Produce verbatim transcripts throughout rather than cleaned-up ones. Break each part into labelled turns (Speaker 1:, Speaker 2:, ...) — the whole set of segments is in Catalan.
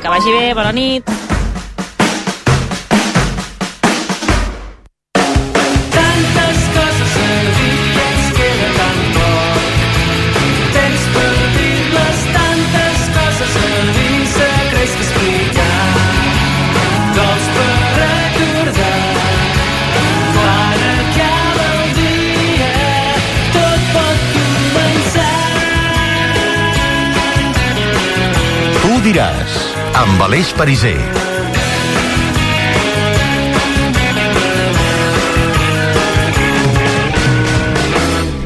Speaker 1: Que vagi bé, bona nit.
Speaker 2: Diràs, amb Aleix Pariser.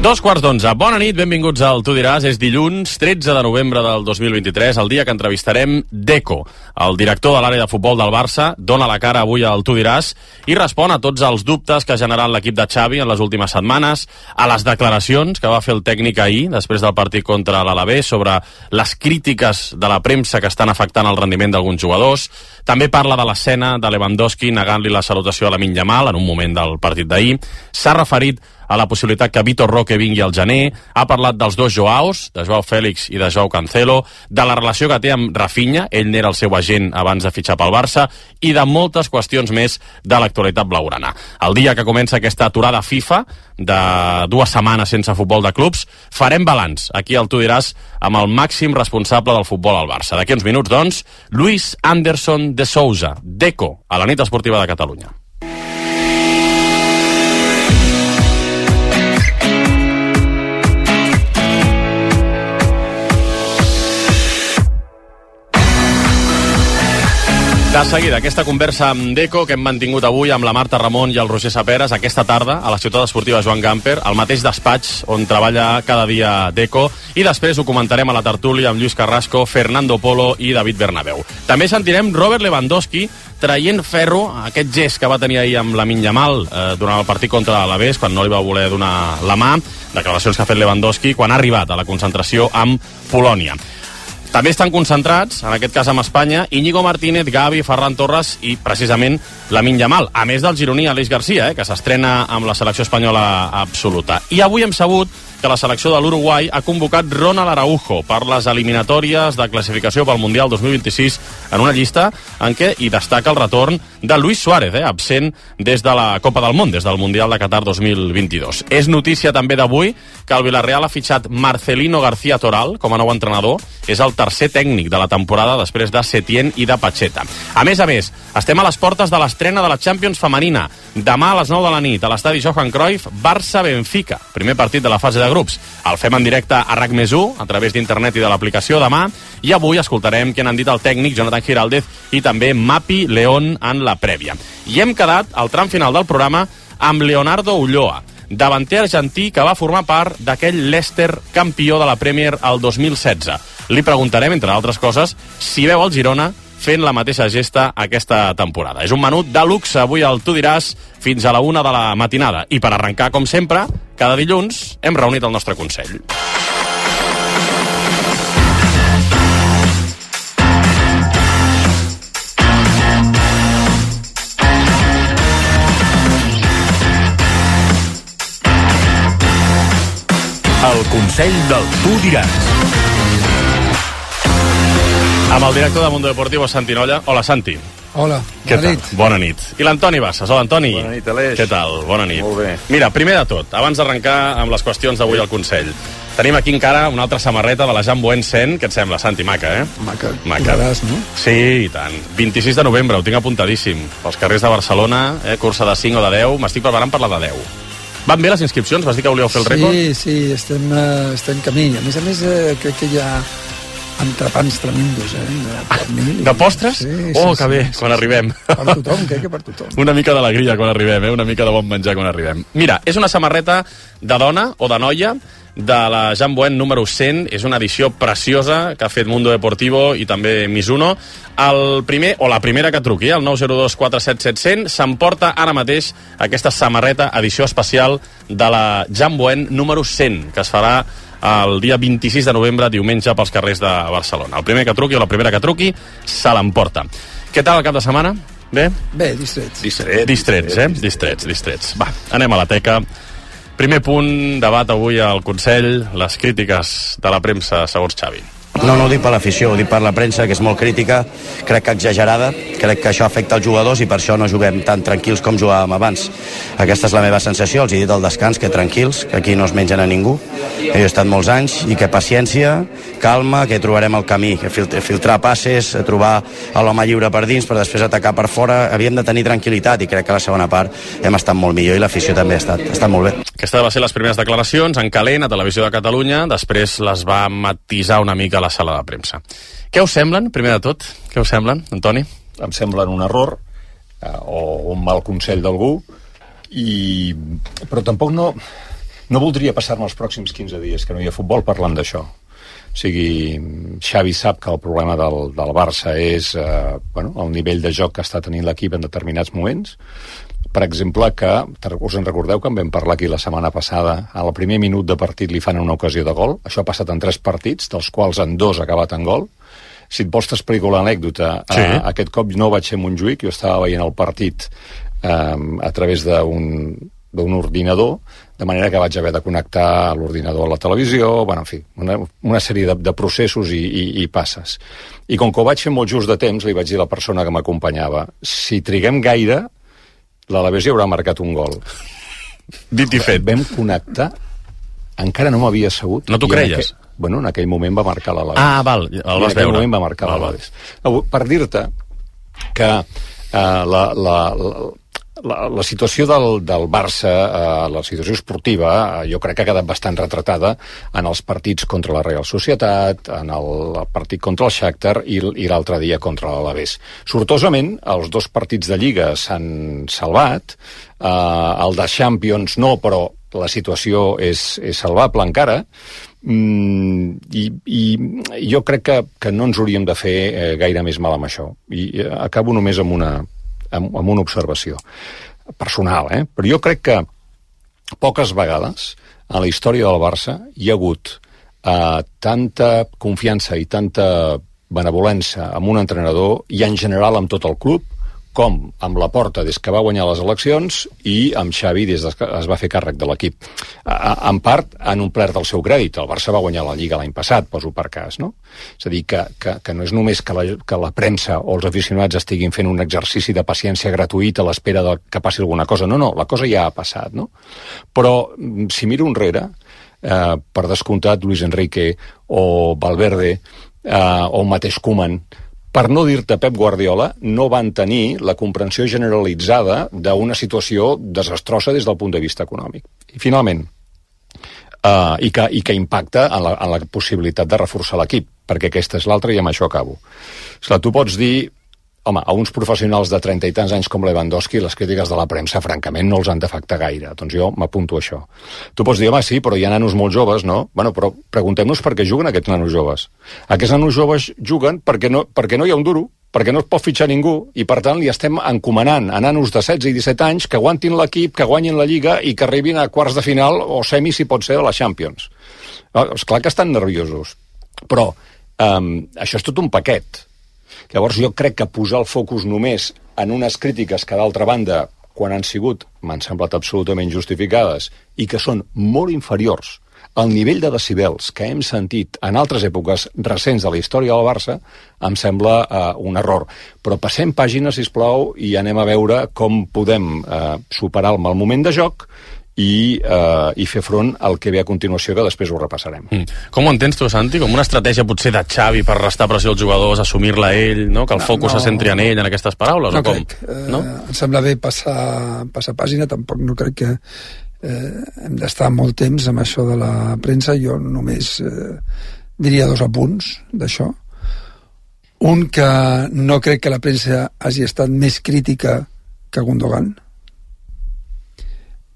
Speaker 3: Dos quarts d'onze. Bona nit, benvinguts al Tu diràs. És dilluns, tretze de novembre del dos mil vint-i-tres, el dia que entrevistarem Deco. El director de l'àrea de futbol del Barça dona la cara avui al Tu diràs i respon a tots els dubtes que ha generat l'equip de Xavi en les últimes setmanes, a les declaracions que va fer el tècnic ahir, després del partit contra l'Alavés, sobre les crítiques de la premsa que estan afectant el rendiment d'alguns jugadors. També parla de l'escena de Lewandowski negant-li la salutació a Lamine Yamal en un moment del partit d'ahir. S'ha referit a la possibilitat que Vitor Roque vingui al gener, ha parlat dels dos Joaos, de Joao Félix i de Joao Cancelo, de la relació que té amb Rafinha, ell n'era el seu agent abans de fitxar pel Barça, i de moltes qüestions més de l'actualitat blaugrana. El dia que comença aquesta aturada FIFA, de dues setmanes sense futbol de clubs, farem balanç, aquí al Tu diràs, amb el màxim responsable del futbol al Barça. D'aquí uns minuts, doncs, Luis Anderson de Sousa, Deco, a la nit esportiva de Catalunya. De seguida, aquesta conversa amb Deco que hem mantingut avui amb la Marta Ramon i el Roger Saperes aquesta tarda a la ciutat esportiva Joan Gamper, al mateix despatx on treballa cada dia Deco, i després ho comentarem a la tertúlia amb Lluís Carrasco, Fernando Polo i David Bernabéu. També sentirem Robert Lewandowski traient ferro, aquest gest que va tenir ahir amb Lamine Yamal eh, durant el partit contra l'Alavés, quan no li va voler donar la mà, declaracions que ha fet Lewandowski quan ha arribat a la concentració amb Polònia. També estan concentrats, en aquest cas amb Espanya, Íñigo Martínez, Gavi, Ferran Torres i, precisament, Lamine Yamal, a més del gironí Aleix Garcia, eh, que s'estrena amb la selecció espanyola absoluta. I avui hem sabut que la selecció de l'Uruguai ha convocat Ronald Araujo per les eliminatòries de classificació pel Mundial dos mil vint-i-sis en una llista en què hi destaca el retorn de Luis Suárez, eh, absent des de la Copa del Món, des del Mundial de Qatar dos mil vint-i-dos. És notícia també d'avui que el Villarreal ha fitxat Marcelino García Toral com a nou entrenador. És el tercer tècnic de la temporada després de Setién i de Pacheta. A més a més, estem a les portes de l'estrena de la Champions femenina. Demà a les nou de la nit, a l'estadi Johan Cruyff, Barça-Benfica, primer partit de la fase de grups. El fem en directe a RAC més u, a través d'internet i de l'aplicació demà, i avui escoltarem què n'han dit el tècnic Jonathan Giraldez i també Mapi León en la prèvia. I hem quedat al tram final del programa amb Leonardo Ulloa, davanter argentí que va formar part d'aquell Leicester campió de la Premier el dos mil setze. Li preguntarem, entre altres coses, si veu el Girona fent la mateixa gesta aquesta temporada. És un menut de luxe avui al Tu diràs fins a la una de la matinada. I per arrencar, com sempre, cada dilluns hem reunit el nostre Consell.
Speaker 2: El Consell del Tu diràs.
Speaker 3: Amb el director de Mundo Deportivo, Santi Nolla. Hola, Santi.
Speaker 4: Hola,
Speaker 3: Què
Speaker 4: bona
Speaker 3: tal?
Speaker 4: nit.
Speaker 3: Bona nit. I l'Antoni Bassas. Hola, Antoni.
Speaker 5: Bona nit, Aleix.
Speaker 3: Què tal? Bona nit.
Speaker 5: Molt bé.
Speaker 3: Mira, primer de tot, abans d'arrencar amb les qüestions d'avui al Consell, tenim aquí encara una altra samarreta de la Jean Buen cent. Què et sembla, Santi? Maca, eh?
Speaker 4: Maca,
Speaker 3: Maca.
Speaker 4: Correràs, no?
Speaker 3: Sí, i tant. vint-i-sis de novembre, ho tinc apuntadíssim. Pels carrers de Barcelona, eh? Cursa de cinc o de deu. M'estic preparant per la de deu. Van bé les inscripcions? Vas dir que volíeu fer el rècord?
Speaker 4: Sí, sí, estem, uh, estem camí. A més a més, uh, crec que hi ha entrepans tremendos, eh? De, pernil,
Speaker 3: De postres?
Speaker 4: Sí, sí,
Speaker 3: oh,
Speaker 4: sí,
Speaker 3: que bé,
Speaker 4: sí,
Speaker 3: quan
Speaker 4: sí,
Speaker 3: arribem.
Speaker 4: Per tothom, crec que per tothom.
Speaker 3: Una mica d'alegria quan arribem, eh? Una mica de bon menjar quan arribem. Mira, és una samarreta de dona o de noia de la Jean Buen número cent. És una edició preciosa que ha fet Mundo Deportivo i també Mizuno. El primer, o la primera que truqui, el nou zero dos quatre set set zero zero, s'emporta ara mateix aquesta samarreta edició especial de la Jean Buen número cent, que es farà el dia vint-i-sis de novembre, diumenge, pels carrers de Barcelona. El primer que truqui o la primera que truqui se l'emporta. Què tal el cap de setmana? Bé?
Speaker 4: Bé, distrets.
Speaker 5: Distret,
Speaker 3: Distrets, eh? Distrets, distrets. Va, anem a la teca. Primer punt, debat avui al Consell, les crítiques de la premsa segons Xavi.
Speaker 1: No, no ho dic per l'afició, ho dic per la premsa, que és molt crítica, crec que exagerada, crec que això afecta els jugadors i per això no juguem tan tranquils com jugàvem abans. Aquesta és la meva sensació, els he dit al descans que tranquils, que aquí no es mengen a ningú, que jo he estat molts anys i que paciència, calma, que trobarem el camí, que filtrar passes, trobar l'home lliure per dins per després atacar per fora, havíem de tenir tranquil·litat i crec que a la segona part hem estat molt millor i l'afició també ha estat, ha estat molt bé.
Speaker 3: Aquesta va ser les primeres declaracions en calent a Televisió de Catalunya, després les va matisar una mica a la sala de premsa. Què us semblen, primer de tot? Què us semblen, Antoni?
Speaker 5: Em semblen un error eh, o un mal consell d'algú, i... però tampoc no, no voldria passar-me els pròxims quinze dies que no hi ha futbol parlant d'això. O sigui, Xavi sap que el problema del, del Barça és eh, bueno, el nivell de joc que està tenint l'equip en determinats moments. Per exemple, que us en recordeu que en vam parlar aquí la setmana passada, al primer minut de partit li fan una ocasió de gol, això ha passat en tres partits, dels quals en dos ha acabat en gol. Si et vols t'explico l'anècdota, sí. eh, aquest cop no vaig ser a Montjuïc, jo estava veient el partit eh, a través d'un d'un ordinador, de manera que vaig haver de connectar l'ordinador a la televisió, bueno, en fi, una, una sèrie de, de processos i, i, i passes. I com que ho vaig fer molt just de temps, li vaig dir a la persona que m'acompanyava, si triguem gaire, l'Alavés hi haurà marcat un gol.
Speaker 3: Dit i fet.
Speaker 5: Vam connectar, encara no m'havia assegut.
Speaker 3: No t'ho creies?
Speaker 5: Aquell, bueno, en aquell moment va marcar l'Alavés.
Speaker 3: Ah, val, el vas veure.
Speaker 5: En aquell moment va marcar l'Alavés. Per dir-te que uh, la, la, la, la, la situació del, del Barça, uh, la situació esportiva, uh, jo crec que ha quedat bastant retratada en els partits contra la Real Societat, en el partit contra el Shakhtar i, i l'altre dia contra l'Alavés. Sortosament, els dos partits de Lliga s'han salvat, uh, el de Champions no, però la situació és, és salvable encara, mm, i, i jo crec que, que no ens hauríem de fer eh, gaire més mal amb això. I eh, acabo només amb una, amb, amb una observació personal, eh? Però jo crec que poques vegades a la història del Barça hi ha hagut eh, tanta confiança i tanta benevolència amb un entrenador i en general amb tot el club, com amb la Porta des que va guanyar les eleccions i amb Xavi des que es va fer càrrec de l'equip. En part han omplert el seu crèdit. El Barça va guanyar la Lliga l'any passat, poso per cas, no? És a dir, que, que, que no és només que la, que la premsa o els aficionats estiguin fent un exercici de paciència gratuït a l'espera de que passi alguna cosa. No, no, la cosa ja ha passat, no? Però si miro enrere, eh, per descomptat Luis Enrique o Valverde eh, o el mateix Koeman, per no dir-te Pep Guardiola, no van tenir la comprensió generalitzada d'una situació desastrosa des del punt de vista econòmic. I finalment, uh, i, que, i que impacta en la, en la possibilitat de reforçar l'equip, perquè aquesta és l'altra i amb això acabo. Esclar, tu pots dir, home, a uns professionals de trenta i tants anys com Lewandowski, les crítiques de la premsa, francament, no els han d'afectar gaire. Doncs jo m'apunto a això. Tu pots dir, home, sí, però hi ha nanos molt joves, no? Bueno, però preguntem-nos per què juguen aquests nanos joves. Aquests nanos joves juguen perquè no, perquè no hi ha un duro, perquè no es pot fitxar ningú, i per tant li estem encomanant a nanos de setze i disset anys que aguantin l'equip, que guanyin la Lliga i que arribin a quarts de final o semi, si pot ser, a la Champions. És clar que estan nerviosos, però um, això és tot un paquet. Llavors jo crec que posar el focus només en unes crítiques que d'altra banda, quan han sigut, m'han semblat absolutament justificades i que són molt inferiors al nivell de decibels que hem sentit en altres èpoques recents de la història del Barça, em sembla uh, un error. Però passem pàgina, sisplau, i anem a veure com podem uh, superar el mal moment de joc i, uh, i fer front al que ve a continuació, que després ho repassarem. Mm.
Speaker 3: Com ho entens tu, Santi? Com una estratègia potser de Xavi per restar pressió als jugadors, assumir-la ell, no? Que el no, focus no, se centri en ell, en aquestes paraules?
Speaker 4: No
Speaker 3: o com?
Speaker 4: crec. No? Eh, em sembla bé passar, passar pàgina, tampoc no crec que eh, hem d'estar molt temps amb això de la premsa. Jo només eh, diria dos apunts d'això. Un, que no crec que la premsa hagi estat més crítica que Gundogan.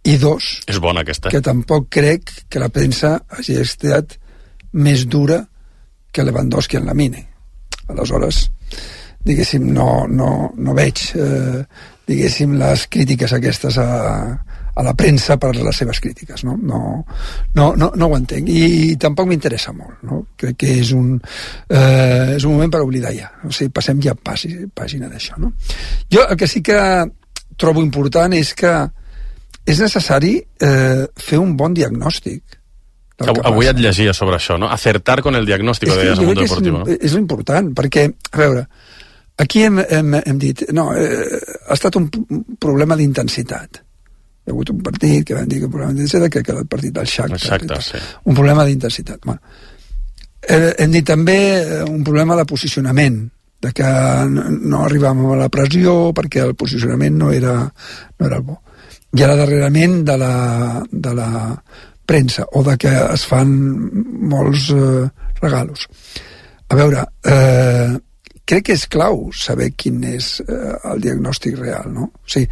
Speaker 4: I dos,
Speaker 3: és bona aquesta.
Speaker 4: Que tampoc crec que la premsa hagi estat més dura que Lewandowski en la Mine. Aleshores, diguéssim, no, no, no veig eh, diguéssim, les crítiques aquestes a, a la premsa per les seves crítiques, no? No, no, no, no ho entenc, i tampoc m'interessa molt, no? Crec que és un eh, és un moment per oblidar ja, o sigui, passem ja pàgina d'això, no? Jo el que sí que trobo important és que és necessari eh, fer un bon diagnòstic
Speaker 3: Avui et llegia sobre això, no? Acertar con el diagnóstico, deies al Mundo Deportivo, no?
Speaker 4: És important, perquè, a veure, aquí hem, hem, hem dit, no, eh, ha estat un problema d'intensitat. Hi ha hagut un partit que vam dir que un problema d'intensitat, que era el partit del Shakhtar.
Speaker 3: Exacte, sí.
Speaker 4: Un problema d'intensitat. Bueno, eh, hem dit també un problema de posicionament, de que no, no arribàvem a la pressió perquè el posicionament no era, no era el bo. I ara darrerament de la, de la premsa, o de que es fan molts eh, regalos. A veure, eh, crec que és clau saber quin és eh, el diagnòstic real, no? O sigui,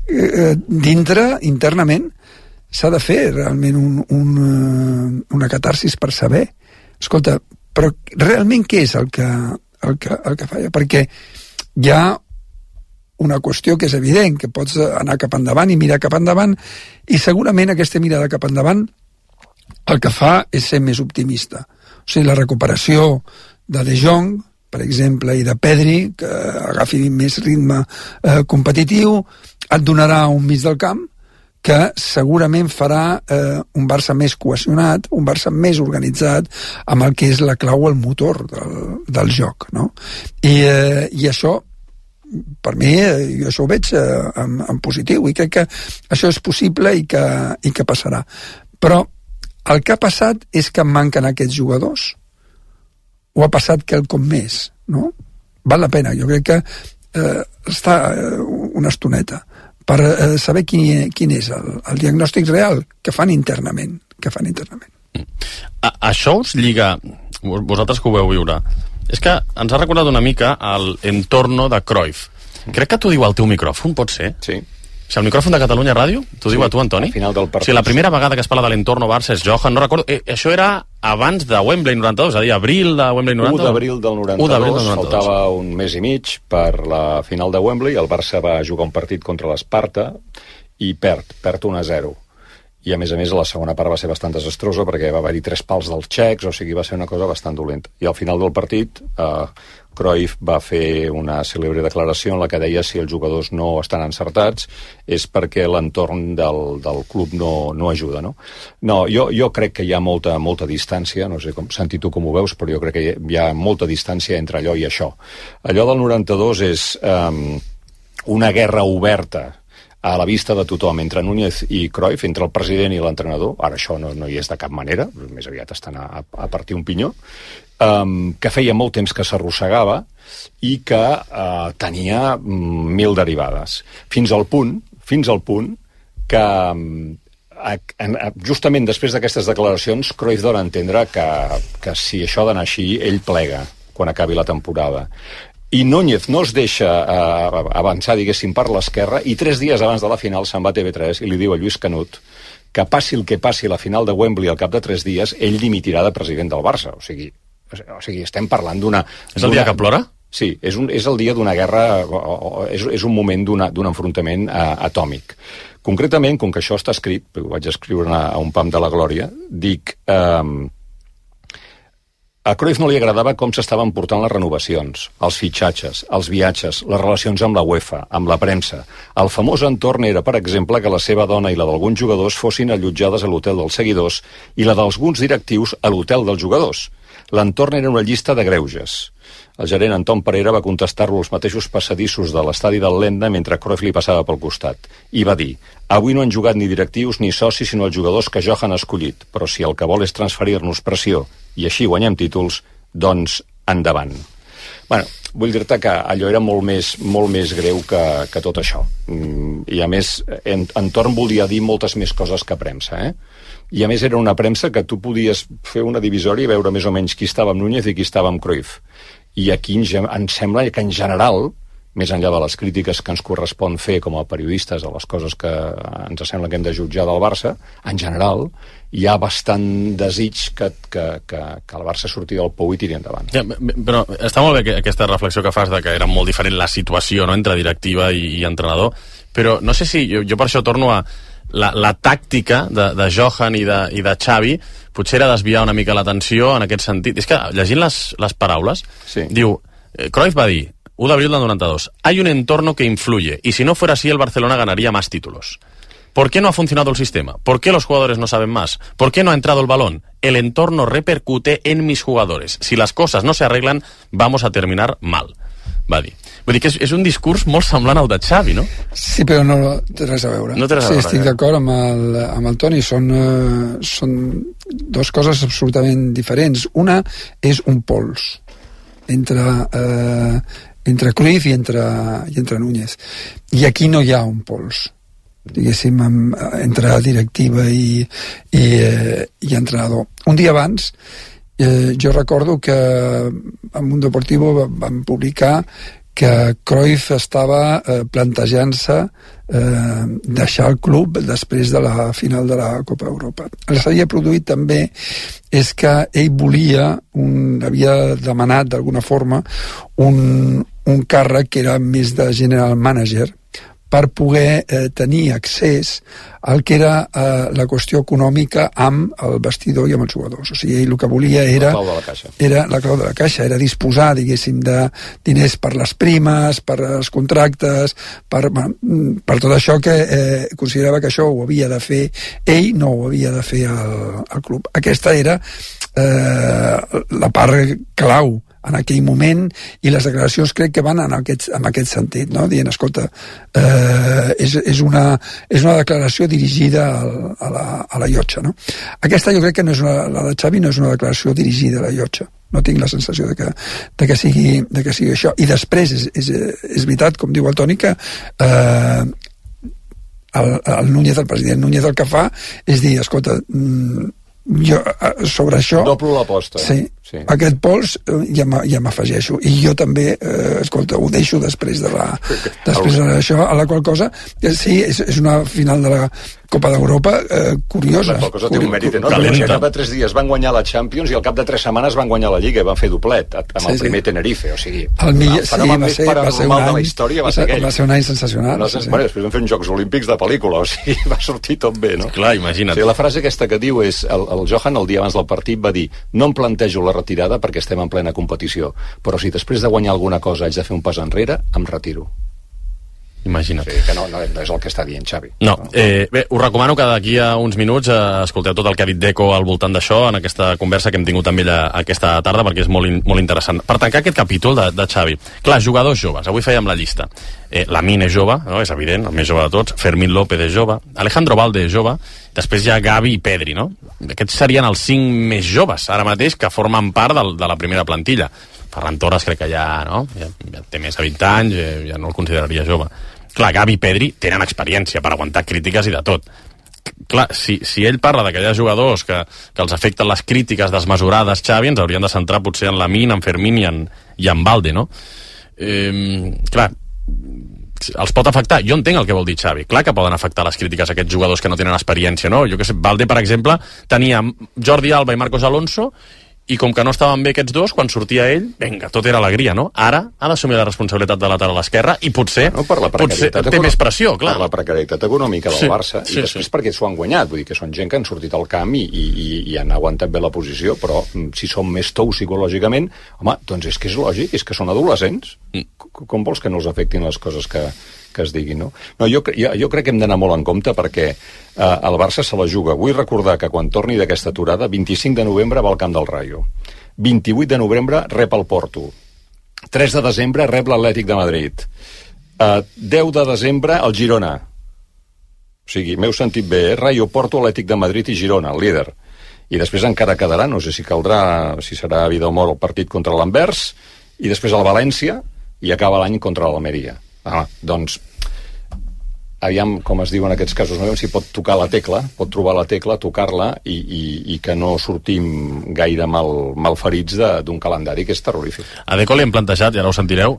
Speaker 4: eh, dintre, internament, s'ha de fer realment un, un, una catarsis per saber, escolta, però realment què és el que, el que, el que falla? Perquè hi ha una qüestió que és evident, que pots anar cap endavant i mirar cap endavant, i segurament aquesta mirada cap endavant el que fa és ser més optimista. O sigui, la recuperació de De Jong, per exemple, i de Pedri, que agafi més ritme eh, competitiu, et donarà un mig del camp que segurament farà eh, un Barça més cohesionat, un Barça més organitzat, amb el que és la clau, el motor del, del joc, no? I, eh, i això, per mi, jo això ho veig eh, en, en positiu, i crec que això és possible i que, i que passarà. Però el que ha passat és que manquen aquests jugadors, o ha passat quelcom més, no? Val la pena, jo crec que eh, està eh, una estoneta per eh, saber quin, quin és el, el diagnòstic real que fan internament, que fan internament.
Speaker 3: A, això us lliga, vosaltres que ho veu viure, és que ens ha recordat una mica l'entorno de Cruyff. Crec que t'ho diu al teu micròfon, pot ser?
Speaker 5: Sí.
Speaker 3: O sigui, el micròfon de Catalunya Ràdio, t'ho
Speaker 5: sí,
Speaker 3: diu a tu, Antoni?
Speaker 5: Al final del partit.
Speaker 3: O sigui, la primera vegada que es parla de l'entorno Barça és Johan, no recordo, eh, això era abans de Wembley noranta-dos, és a dir, abril de Wembley noranta-dos.
Speaker 5: u d'abril del noranta-dos, faltava un mes i mig per la final de Wembley, el Barça va jugar un partit contra l'Esparta i perd, perd un a zero. I a més a més la segona part va ser bastant desastrosa perquè va haver-hi tres pals dels txecs, o sigui, va ser una cosa bastant dolenta. I al final del partit eh, Cruyff va fer una cèlebre declaració en la que deia si els jugadors no estan encertats és perquè l'entorn del, del club no, no ajuda, no? No, jo, jo crec que hi ha molta, molta distància, no sé com, Santi, tu com ho veus, però jo crec que hi ha molta distància entre allò i això. Allò del noranta-dos és eh, una guerra oberta a la vista de tothom, entre Núñez i Cruyff, entre el president i l'entrenador, ara això no, no hi és de cap manera, més aviat estan a, a partir un pinyó, um, que feia molt temps que s'arrossegava i que uh, tenia mm, mil derivades. Fins al punt, fins al punt que um, a, a, justament després d'aquestes declaracions Cruyff dona a entendre que, que si això ha d'anar així, ell plega quan acabi la temporada. I Núñez no es deixa eh, avançar, diguéssim, per l'esquerra, i tres dies abans de la final se'n va a T V tres i li diu a Lluís Canut que passi el que passi la final de Wembley al cap de tres dies, ell dimitirà de president del Barça. O sigui, o sigui estem parlant d'una...
Speaker 3: És el dia que plora?
Speaker 5: Sí, és, un, és el dia d'una guerra, o, o, és, és un moment d'un enfrontament uh, atòmic. Concretament, com que això està escrit, ho vaig escriure a, a un pam de la glòria, dic... Um, A Cruyff no li agradava com s'estaven portant les renovacions, els fitxatges, els viatges, les relacions amb la UEFA, amb la premsa. El famós entorn era, per exemple, que la seva dona i la d'alguns jugadors fossin allotjades a l'hotel dels seguidors i la d'alguns directius a l'hotel dels jugadors. L'entorn era una llista de greuges. El gerent Anton Pereira va contestar-lo als mateixos passadissos de l'estadi del Lenda mentre Cruyff li passava pel costat. I va dir: avui no han jugat ni directius ni socis sinó els jugadors que Johan ha escollit, però si el que vol és transferir-nos pressió i així guanyem títols, doncs endavant. Bueno, vull dir-te que allò era molt més, molt més greu que, que tot això. I a més, en, Entorn volia dir moltes més coses que premsa, eh? I a més era una premsa que tu podies fer una divisòria i veure més o menys qui estava amb Núñez i qui estava amb Cruyff. I aquí em sembla que en general, més enllà de les crítiques que ens correspon fer com a periodistes a les coses que ens sembla que hem de jutjar del Barça, en general hi ha bastant desig que, que, que, que el Barça surti del pou i tiri endavant.
Speaker 3: Ja, però està molt bé que, aquesta reflexió que fas de que era molt diferent la situació, no?, entre directiva i, i entrenador, però no sé si, jo, jo per això torno a la, la tàctica de, de Johan i de, i de Xavi potser era desviar una mica l'atenció en aquest sentit. És que llegint les, les paraules, sí. Diu, eh, Cruyff va dir u d'abril del noranta-dos, hay un entorno que influye y si no fuera así el Barcelona ganaría más títulos. ¿Por qué no ha funcionado el sistema? ¿Por qué los jugadores no saben más? ¿Por qué no ha entrado el balón? El entorno repercute en mis jugadores. Si las cosas no se arreglan, vamos a terminar mal, va dir. Vull dir que és, és un discurs molt semblant al de Xavi, no?
Speaker 4: Sí, però no té res a veure.
Speaker 3: No té res a veure.
Speaker 4: Sí, estic d'acord amb, el, amb el Toni. Són, uh, són dues coses absolutament diferents. Una és un pols entre, uh, entre Cruyff i entre, i entre Núñez. I aquí no hi ha un pols, diguéssim, amb, entre directiva i, i, eh, i entrenador. Un dia abans, eh, jo recordo que en Mundo Deportivo vam publicar que Cruyff estava eh, plantejant-se eh, deixar el club després de la final de la Copa Europa. El que s'havia produït també és que ell volia, un, havia demanat d'alguna forma un, un càrrec que era més de general manager, per poder eh, tenir accés al que era eh, la qüestió econòmica amb el vestidor i amb els jugadors. O sigui, ell el que volia era...
Speaker 5: La clau de la caixa.
Speaker 4: Era la clau de la caixa, era disposar, diguéssim, de diners per les primes, per els contractes, per, per tot això que eh, considerava que això ho havia de fer ell, no ho havia de fer el, el club. Aquesta era eh, la part clau en aquell moment, i les declaracions crec que van en aquest, en aquest sentit, no? Dient, escolta, eh, és, és, una, és una declaració dirigida al, a, la, a la llotja, no? Aquesta jo crec que no és una, la de Xavi no és una declaració dirigida a la llotja, no tinc la sensació de que, de que, sigui, de que sigui això. I després és, és, és veritat, com diu el Toni, que eh, el, el Núñez, el president Núñez, el que fa és dir, escolta, jo sobre això...
Speaker 5: Doblo l'aposta.
Speaker 4: Sí, sí. Aquest pols ja m'afegeixo. I jo també, eh, escolta, ho deixo després de la... després d'això, a la qual cosa... Sí, és, és una final de la Copa d'Europa eh, curiosa.
Speaker 5: La qual cosa té un mèrit enorme. Al cap de tres dies van guanyar la Champions i al cap de tres setmanes van guanyar la Lliga i van fer doblet amb sí, el primer sí. Tenerife. O sigui,
Speaker 4: el, millor,
Speaker 5: el fenomen sí, més paranormal de la història va ser aquell.
Speaker 4: Va ser un any sensacional.
Speaker 5: No, sí, sí. Bueno, després van fer uns Jocs Olímpics de pel·lícula, o sigui, va sortir tot bé, no?
Speaker 3: Clar, imagina't.
Speaker 5: O sigui, la frase aquesta que diu és, el, el Johan el dia abans del partit va dir, no em plantejo la retirada perquè estem en plena competició, però si després de guanyar alguna cosa haig de fer un pas enrere, em retiro.
Speaker 3: Imagina't.
Speaker 5: Sí, que no, no, no és el que està dient Xavi.
Speaker 3: No, eh, bé, us recomano que d'aquí a uns minuts eh, escolteu tot el que ha dit Deco al voltant d'això en aquesta conversa que hem tingut amb ella aquesta tarda, perquè és molt, in, molt interessant. Per tancar aquest capítol de, de Xavi, clar, jugadors joves, avui fèiem la llista. Eh, Lamine és jove, no? És evident, el més jove de tots, Fermín López és jove, Alejandro Valde és jove, després hi ha Gavi i Pedri, no? Aquests serien els cinc més joves, ara mateix, que formen part del, de la primera plantilla. Ferran Torres crec que ja, no? ja, ja té més de vint anys, ja, ja no el consideraria jove. Clar, Gavi i Pedri tenen experiència per aguantar crítiques i de tot. Clar, si, si ell parla d'aquells jugadors que, que els afecten les crítiques desmesurades, Xavi, ens haurien de centrar potser en Lamine, en Fermín i en, i en Valde, no? Eh, clar, els pot afectar. Jo entenc el que vol dir Xavi. Clar que poden afectar les crítiques a aquests jugadors que no tenen experiència, no? Jo que sé, Valde, per exemple, tenia Jordi Alba i Marcos Alonso, i com que no estaven bé aquests dos, quan sortia ell, vinga, tot era alegria, no? Ara ha d'assumir la responsabilitat de lateral a l'esquerra i potser,
Speaker 5: no, per la
Speaker 3: potser té més pressió, clar.
Speaker 5: Per la precarietat econòmica del
Speaker 3: sí,
Speaker 5: Barça,
Speaker 3: sí,
Speaker 5: i després
Speaker 3: sí.
Speaker 5: perquè s'ho han guanyat, vull dir que són gent que han sortit al camp i, i, i han aguantat bé la posició, però si són més tous psicològicament, home, doncs és que és lògic, és que són adolescents. Mm. Com vols que no els afectin les coses que, que es diguin, no? No, jo, jo, jo crec que hem d'anar molt en compte perquè eh, el Barça se la juga. Vull recordar que quan torni d'aquesta aturada, vint-i-cinc de novembre va al camp del Rayo. vint-i-vuit de novembre rep el Porto. tres de desembre rep l'Atlètic de Madrid. Uh, deu de desembre el Girona. O sigui, m'heu sentit bé, eh? Rayo, Porto, Atlètic de Madrid i Girona, el líder. I després encara quedarà, no sé si caldrà, si serà a vida o mort el partit contra l'Anvers, i després el València, i acaba l'any contra l'Almeria. Ah, doncs, aviam, com es diu en aquests casos, no veiem si pot tocar la tecla, pot trobar la tecla, tocar-la i, i, i que no sortim gaire mal, mal ferits d'un calendari que és terrorífic.
Speaker 3: A Deco li hem plantejat, i ara ho sentireu,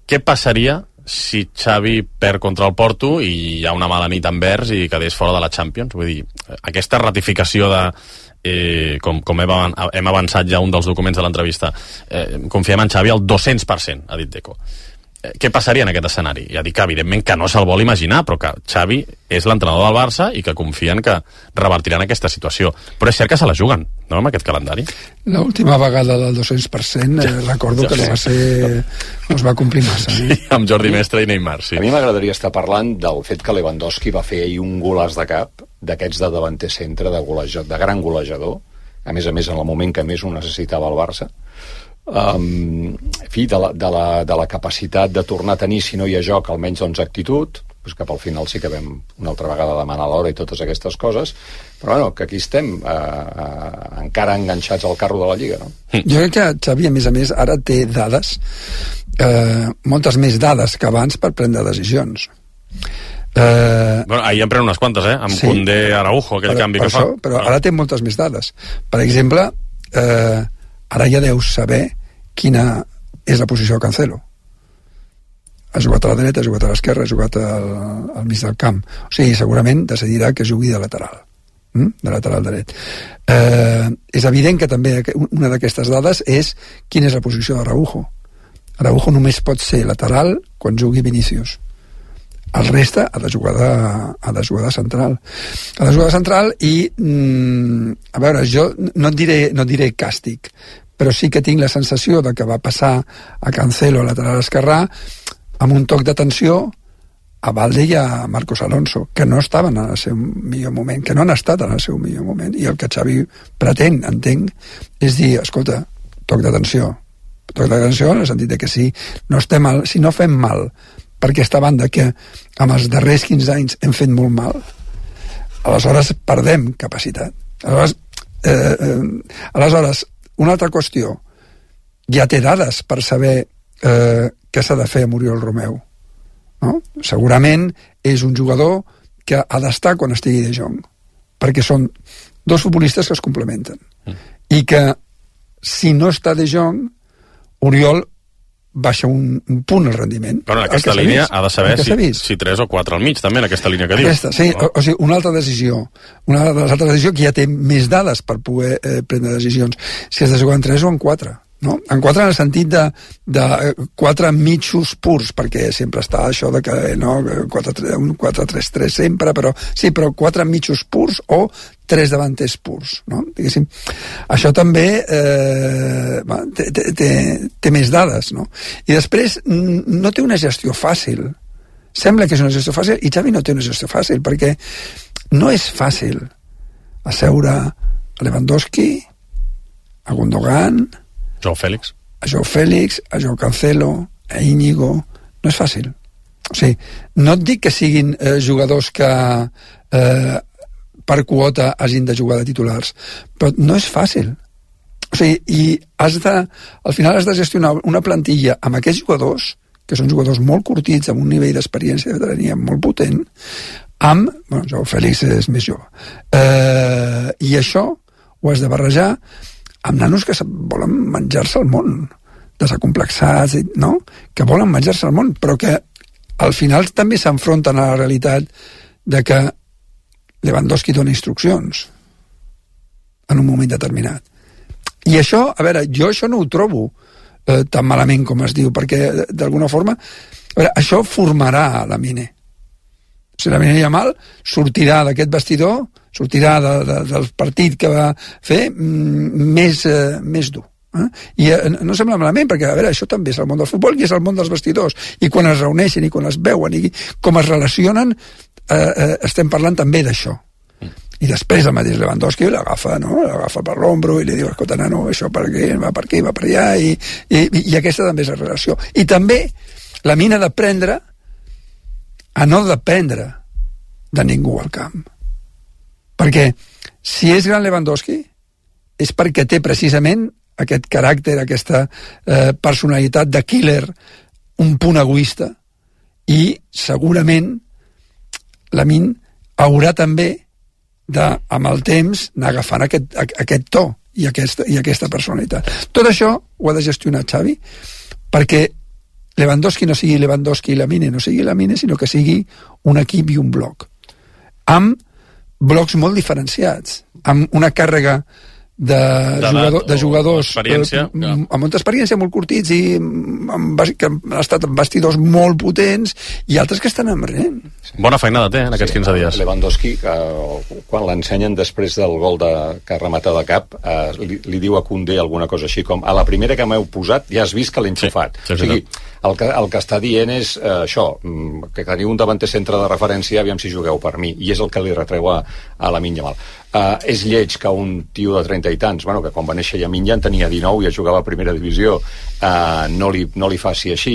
Speaker 3: què passaria si Xavi perd contra el Porto i hi ha una mala nit a Anvers i quedés fora de la Champions? Vull dir, aquesta ratificació de... Eh, com, com hem, hem avançat ja un dels documents de l'entrevista, eh, confiem en Xavi al dos-cents per cent, ha dit Deco. què passaria en aquest escenari? Ja dic que evidentment que no se'l vol imaginar, però que Xavi és l'entrenador del Barça i que confien que revertiran aquesta situació. Però és cert que se la juguen, no?, amb aquest calendari.
Speaker 4: L'última vegada del dos-cents per cent, eh, recordo ja, que ja no va ser... no es va complir massa.
Speaker 3: Sí, eh? Amb Jordi Mestre i Neymar, sí.
Speaker 5: A mi m'agradaria estar parlant del fet que Lewandowski va fer ahir un golaç de cap, d'aquests de davanter centre, de, golejador, de gran golejador, a més a més en el moment que més ho necessitava el Barça. Um, en fi, de la, de, la, de la capacitat de tornar a tenir, si no hi ha joc, almenys doncs actitud, doncs que pel final sí que vam una altra vegada demanar l'hora i totes aquestes coses, però bueno, que aquí estem eh, eh, encara enganxats al carro de la Lliga, no?
Speaker 4: Jo crec que Xavi, a més a més, ara té dades, eh, moltes més dades que abans per prendre decisions.
Speaker 3: Eh, bueno, ahir en pren unes quantes, eh? Amb sí, Koundé, Araujo, aquell
Speaker 4: per,
Speaker 3: canvi
Speaker 4: per
Speaker 3: que
Speaker 4: això,
Speaker 3: fa.
Speaker 4: Però ara té moltes més dades. Per exemple, eh, ara ja deus saber quina és la posició de Cancelo. Ha jugat a la dreta, ha jugat a l'esquerra, ha jugat al, al mig del camp. O sigui, segurament decidirà que jugui de lateral, hm? de lateral dret. Eh, és evident que també una d'aquestes dades és quina és la posició d'Araujo. Araujo només pot ser lateral quan jugui Vinícius. El reste ha de jugar de, ha de jugar de central. Ha de jugar de central i, mm, a veure, jo no et diré, no et diré càstig, però sí que tinc la sensació de que va passar a Cancelo a lateral esquerrà amb un toc d'atenció a Valde i a Marcos Alonso, que no estaven en el seu millor moment, que no han estat en el seu millor moment, i el que Xavi pretén, entenc, és dir, escolta, toc d'atenció, toc d'atenció en el sentit de que si no estem mal, si no fem mal per aquesta banda que amb els darrers quinze anys hem fet molt mal, aleshores perdem capacitat. Aleshores, eh, eh, aleshores una altra qüestió, ja té dades per saber eh, què s'ha de fer amb Oriol Romeu, no? Segurament és un jugador que ha d'estar quan estigui De Jong, perquè són dos futbolistes que es complementen, mm. i que si no està De Jong, Oriol baixa un, un punt el rendiment.
Speaker 3: Però en aquesta línia ha de saber si, si tres o quatre al mig, també, en aquesta línia que
Speaker 4: aquesta,
Speaker 3: dius.
Speaker 4: Sí, no? o, o sigui, una altra decisió, una de les altres decisions que ja té més dades per poder eh, prendre decisions, si has de jugar en tres o en quatre, no? En quatre en el sentit de, de quatre mitjos purs, perquè sempre està això de que no, un quatre tres tres sempre, però sí, però quatre mitjos purs o tres davanters purs, no? Diguéssim, això també eh, té, té, té més dades, no? I després no té una gestió fàcil. Sembla que és una gestió fàcil i Xavi no té una gestió fàcil, perquè no és fàcil asseure a Lewandowski, a Gundogan,
Speaker 3: Joao Félix.
Speaker 4: A Joao Félix, a Joao Cancelo, a Íñigo. No és fàcil. O sigui, no et dic que siguin eh, jugadors que eh, per quota hagin de jugar de titulars, però no és fàcil. O sigui, i has de, al final has de gestionar una plantilla amb aquests jugadors, que són jugadors molt curtits, amb un nivell d'experiència de veterania molt potent, amb... Bueno, Joao Félix és més jove. Eh, I això ho has de barrejar amb nanos que volen menjar-se el món, desacomplexats, no? Que volen menjar-se el món, però que al final també s'enfronten a la realitat de que Lewandowski dona instruccions en un moment determinat. I això, a veure, jo això no ho trobo eh, tan malament com es diu, perquè d'alguna forma, a veure, això formarà la Mine. Si la Mine mal, sortirà d'aquest vestidor, sortirà de, de, del partit que va fer mm, més, eh, més dur. Eh? I eh, no sembla malament, perquè a veure, això també és el món del futbol i és el món dels vestidors, i quan es reuneixen i quan es veuen i com es relacionen, eh, eh, estem parlant també d'això. Mm. I després el mateix Lewandowski l'agafa, no? L'agafa per l'ombro i li diu, escolta, nano, això per aquí, va per aquí, va per allà, i, i, i aquesta també és la relació. I també la Mina d'aprendre a no dependre de ningú al camp. Perquè si és gran Lewandowski és perquè té precisament aquest caràcter, aquesta eh, personalitat de killer, un punt egoista, i segurament Lamine haurà també de, amb el temps, anar agafant aquest, aquest to i aquesta, i aquesta personalitat. Tot això ho ha de gestionar Xavi perquè Lewandowski no sigui Lewandowski i Lamine no sigui Lamine, sinó que sigui un equip i un bloc, amb blocs molt diferenciats, amb una càrrega jugador, de jugadors
Speaker 3: experiència,
Speaker 4: eh, ja. amb molta experiència, molt curtits i amb, que han estat amb vestidors molt potents i altres que estan emprenent.
Speaker 3: Sí. Bona feinada té en aquests sí, quinze dies.
Speaker 5: Lewandowski, que, quan l'ensenyen després del gol de, que remata de cap, eh, li, li diu a Koundé alguna cosa així com a la primera que m'heu posat ja has vist que l'he enxufat. Sí, sí, o sigui, el que, el que està dient és eh, això, que teniu un davanter centre de referència, aviam si jugueu per mi, i és el que li retreu a, a Lamine Yamal. Uh, és lleig que un tio de trenta i tants, bueno, que quan va néixer Lamine ja en tenia dinou i ja jugava a primera divisió, uh, no, li, no li faci així,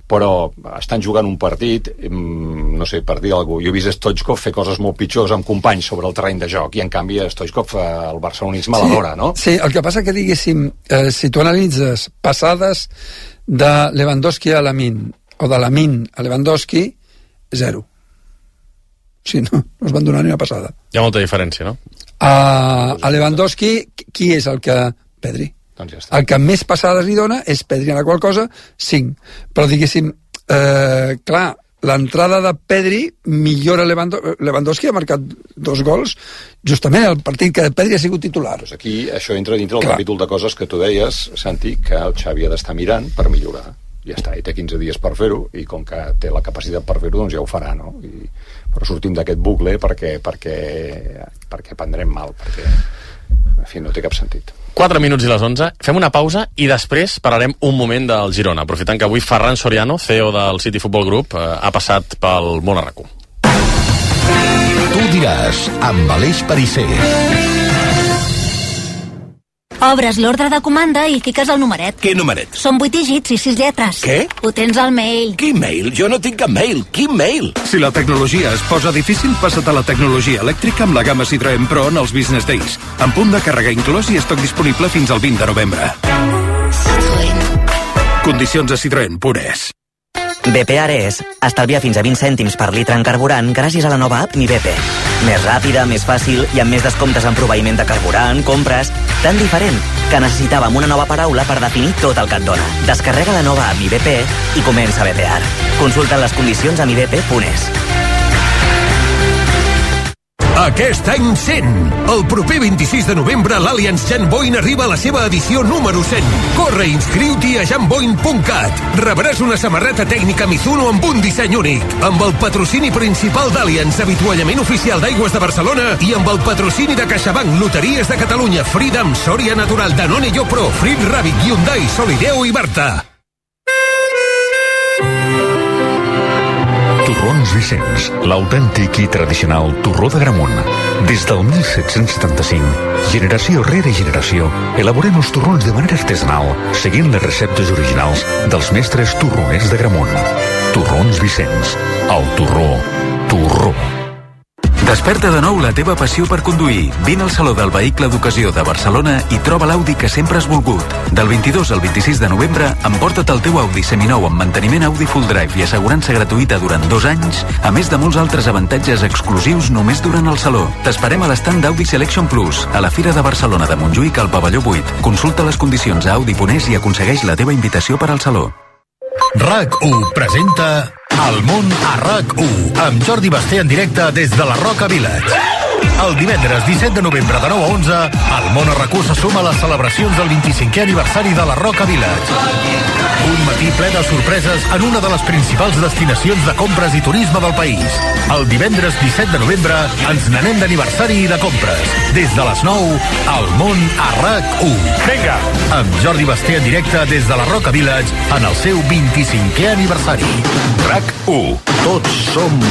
Speaker 5: però estan jugant un partit, um, no sé, per dir alguna cosa, jo he vist Stoichkov fer coses molt pitjors amb companys sobre el terreny de joc, i en canvi Stoichkov uh, el barcelonisme sí, l'adora, no?
Speaker 4: Sí, el que passa que, diguéssim, eh, si tu analitzes passades de Lewandowski a Lamine, o de Lamine a Lewandowski, zero. Sí, no, no es van donar ni una passada.
Speaker 3: Hi ha molta diferència, no?
Speaker 4: A, a Lewandowski, qui és el que... Pedri.
Speaker 5: Doncs ja està.
Speaker 4: El que més passades li dona és Pedri, a la qual cosa, cinc. Però diguéssim, eh, clar, l'entrada de Pedri millora Lewandowski, Lewandowski ha marcat dos gols justament el partit que Pedri ha sigut titular.
Speaker 5: Pues aquí això entra dintre del capítol de coses que tu deies, Santi, que el Xavi ha d'estar mirant per millorar. Ja està, i té quinze dies per fer-ho, i com que té la capacitat per fer-ho, doncs ja ho farà, no? I, però sortim d'aquest bucle perquè, perquè, perquè prendrem mal, perquè, en fi, no té cap sentit.
Speaker 3: quatre minuts i les onze, fem una pausa i després parlarem un moment del Girona, aprofitant que avui Ferran Soriano, C E O del City Football Group, eh, ha passat pel món a RAC u.
Speaker 2: Tu diràs, amb Aleix Pariser.
Speaker 6: Obres l'ordre de comanda i fiques el numeret.
Speaker 7: Què numeret?
Speaker 6: Són vuit dígits i sis lletres.
Speaker 7: Què?
Speaker 6: Ho tens al mail.
Speaker 7: Quin mail? Jo no tinc cap mail. Quin mail?
Speaker 8: Si la tecnologia es posa difícil, passa't a la tecnologia elèctrica amb la gamma Citroën Pro en els Business Days. En punt de càrrega inclòs i estoc disponible fins al vint de novembre. Citroën. Condicions a Citroën Pures.
Speaker 9: B P Ares estalvia fins a vint cèntims per litre en carburant gràcies a la nova app Mi B P. Més ràpida, més fàcil i amb més descomptes en proveïment de carburant, compres... Tan diferent que necessitàvem una nova paraula per definir tot el que et dona. Descarrega la nova app Mi B P i comença a bepear. Consulta les condicions a mi b p punt es.
Speaker 2: Aquest any cent. El proper vint-i-sis de novembre l'Allianz Jan Boyn arriba a la seva edició número cent. Corre i inscriu-t'hi a jan boyn punt cat. Rebràs una samarreta tècnica Mizuno amb un disseny únic. Amb el patrocini principal d'Allianz, avituallament oficial d'Aigües de Barcelona, i amb el patrocini de CaixaBank, Loteries de Catalunya, Freedom, Soria Natural, Danone Yopro, Frit Rabbit, Hyundai, Solideo i Barta.
Speaker 10: Torrons Vicenç, l'autèntic i tradicional torró d'Agramunt. Des del mil set-cents setanta-cinc, generació rere generació, elaborem els torrons de manera artesanal, seguint les receptes originals dels mestres torroners d'Agramunt. Torrons Vicenç, el torró, torró.
Speaker 11: Desperta de nou la teva passió per conduir. Vine al Saló del Vehicle d'Ocasió de Barcelona i troba l'Audi que sempre has volgut. Del vint-i-dos al vint-i-sis de novembre, emporta't el teu Audi seminou amb manteniment Audi Full Drive i assegurança gratuïta durant dos anys, a més de molts altres avantatges exclusius només durant el Saló. T'esperem a l'estand d'Audi Selection Plus, a la Fira de Barcelona de Montjuïc al pavelló vuit. Consulta les condicions a Audi punt es i aconsegueix la teva invitació per al Saló.
Speaker 2: RAC u presenta El món a RAC u amb Jordi Basté en directe des de la Roca Village. El divendres disset de novembre de nou a onze, el món a RAC u se suma a les celebracions del vint-i-cinquè aniversari de la Roca Village. Un matí ple de sorpreses en una de les principals destinacions de compres i turisme del país. El divendres disset de novembre ens n'anem d'aniversari i de compres. Des de les nou, el món a RAC u. Vinga! Amb Jordi Basté en directe des de la Roca Village en el seu vint-i-cinquè aniversari. RAC u. Tots som...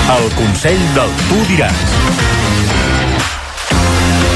Speaker 2: El Consell del Tu diràs.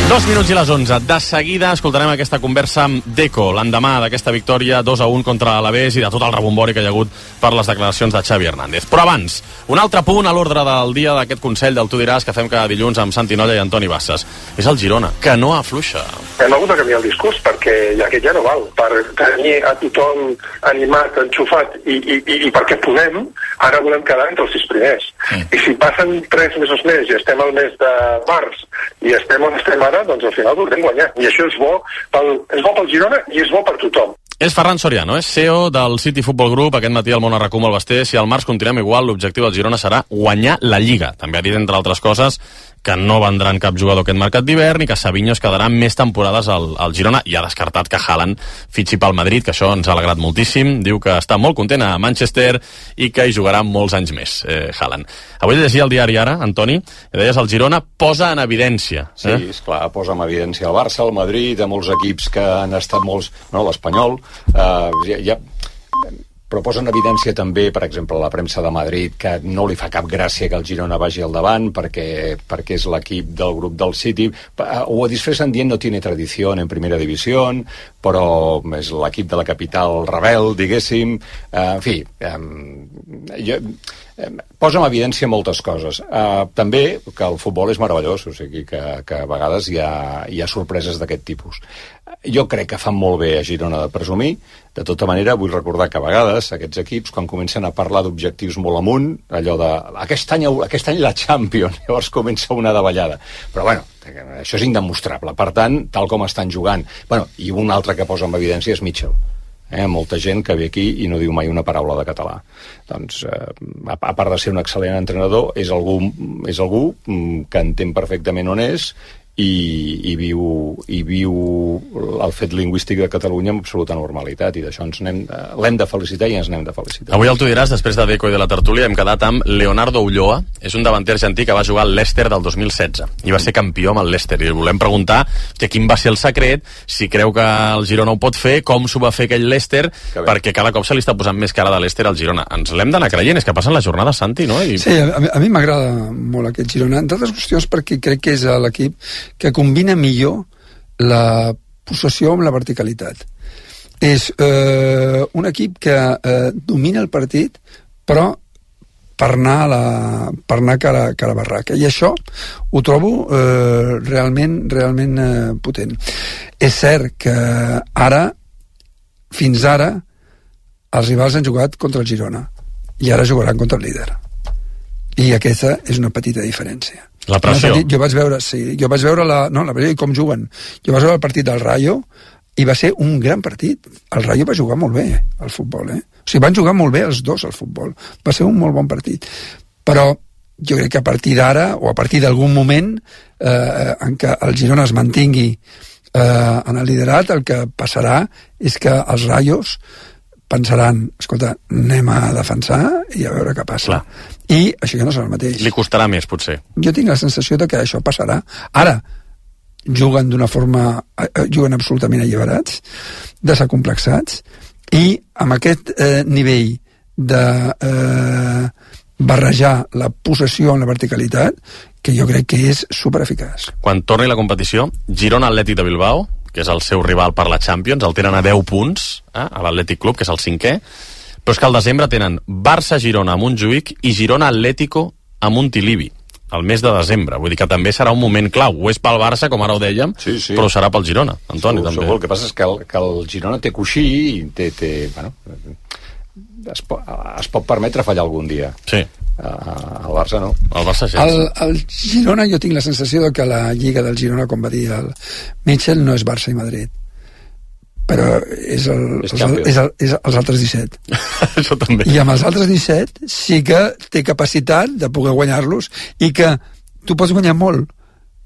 Speaker 3: Dos minuts i les onze. De seguida escoltarem aquesta conversa amb Deco, l'endemà d'aquesta victòria dos a un contra l'Alavés i de tot el rebombori que hi ha hagut per les declaracions de Xavi Hernández. Però abans, un altre punt a l'ordre del dia d'aquest Consell del Tu diràs que fem cada dilluns amb Santi Nolla i Antoni Bassas. És el Girona, que no afluixa.
Speaker 12: Hem hagut de canviar el discurs perquè aquest ja no val. Per tenir a tothom animat, enxufat i, i, i, i perquè podem, Ara volem quedar entre els sis primers. Mm. I si passen tres mesos més i estem al mes de març i estem on estem ara, doncs al final voldrem guanyar. I això és bo pel, és bo pel Girona i és bo per tothom.
Speaker 3: És Ferran Soriano, és C E O del City Football Group. Aquest matí al Món a RAC u amb el Basté. Si al març continuem igual, l'objectiu del Girona serà guanyar la Lliga. També ha dit, entre altres coses, que no vendran cap jugador aquest mercat d'hivern i que Savinho es quedarà més temporades al, al Girona, i ha descartat que Haaland fitxi pel Madrid, que això ens ha alegrat moltíssim. Diu que està molt content a Manchester i que hi jugarà molts anys més, eh, Haaland. Avui llegia el diari Ara, Antoni, i deies el Girona posa en evidència. Eh?
Speaker 5: Sí, esclar, posa en evidència el Barça, el Madrid, a molts equips que han estat molts... No, l'Espanyol... Eh, ja, ja, però posa en evidència també, per exemple, la premsa de Madrid, que no li fa cap gràcia que el Girona vagi al davant perquè, perquè és l'equip del grup del City. Ho disfressen dient no tiene tradició en primera divisió, però és l'equip de la capital rebel, diguéssim. En fi, jo... posa en evidència moltes coses. Uh, també que el futbol és meravellós, o sigui que, que a vegades hi ha, hi ha sorpreses d'aquest tipus. Jo crec que fan molt bé a Girona de presumir. De tota manera, vull recordar que a vegades aquests equips, quan comencen a parlar d'objectius molt amunt, allò de aquest any, aquest any la Champions, llavors comença una davallada. Però bueno, això és indemostrable. Per tant, tal com estan jugant... Bueno, i un altre que posa en evidència és Mitchell. Eh, molta gent que ve aquí i no diu mai una paraula de català. Doncs, eh, a, a part de ser un excel·lent entrenador, és algú, és algú que entén perfectament on és i, i, viu, i viu el fet lingüístic de Catalunya amb absoluta normalitat, i d'això ens n'hem, l'hem de felicitar i ens n'hem de felicitar.
Speaker 3: Avui el tu diràs, després de Deco i de la tertúlia, hem quedat amb Leonardo Ulloa. És un davanter argentí que va jugar al Leicester del dos mil setze i va ser campió amb el Leicester, i volem preguntar que quin va ser el secret, si creu que el Girona ho pot fer, com s'ho va fer aquell Leicester, perquè cada cop se li està posant més cara de Leicester al Girona. Ens l'hem d'anar creient, és que passen les jornades, Santi, no? I...
Speaker 4: Sí, a, a mi m'agrada molt aquest Girona, entre altres qüestions perquè crec que és l'equip que combina millor la possessió amb la verticalitat. És eh, un equip que eh, domina el partit, però per anar a la, per anar cara, cara a barraca. I això ho trobo eh, realment, realment eh, potent. És cert que ara, fins ara, els rivals han jugat contra el Girona i ara jugaran contra el líder. I aquesta és una petita diferència.
Speaker 3: La pressió.
Speaker 4: Jo vaig veure, sí, jo vaig veure la, no, la pressió i com juguen. Jo vaig veure el partit del Rayo i va ser un gran partit. El Rayo va jugar molt bé al futbol, eh? O sigui, van jugar molt bé els dos al futbol. Va ser un molt bon partit. Però jo crec que a partir d'ara, o a partir d'algun moment eh, en què el Girona es mantingui eh, en el liderat, el que passarà és que els Rayos pensaran, escolta, anem a defensar i a veure què passa. Clar. I això ja no serà el mateix.
Speaker 3: Li costarà més, potser.
Speaker 4: Jo tinc la sensació de que això passarà. Ara, juguen d'una forma... juguen absolutament alliberats, desacomplexats, i amb aquest eh, nivell de eh, barrejar la possessió amb la verticalitat, que jo crec que és supereficaç.
Speaker 3: Quan torni la competició, Girona Atlètic de Bilbao, que és el seu rival per la Champions, el tenen a deu punts, eh, a l'Atlètic Club, que és el cinquè, però és que al desembre tenen Barça-Girona a Montjuïc i Girona-Atlético a Montilivi, al mes de desembre. Vull dir que també serà un moment clau. Ho és pel Barça, com ara ho dèiem, sí, sí. Però ho serà pel Girona, Antoni,
Speaker 5: segur,
Speaker 3: també.
Speaker 5: Segur. El que passa és que el, que el Girona té coixí i té... té bueno, es, po, es pot permetre fallar algun dia.
Speaker 3: Sí.
Speaker 5: Uh, el Barça no.
Speaker 3: El Barça sí.
Speaker 4: El, el Girona, jo tinc la sensació de que la Lliga del Girona, com va dir el Mitchell, no és Barça i Madrid, però és, el, és, els, és, el, és els altres disset.
Speaker 3: Això també.
Speaker 4: I amb els altres disset sí que té capacitat de poder guanyar-los, i que tu pots guanyar molt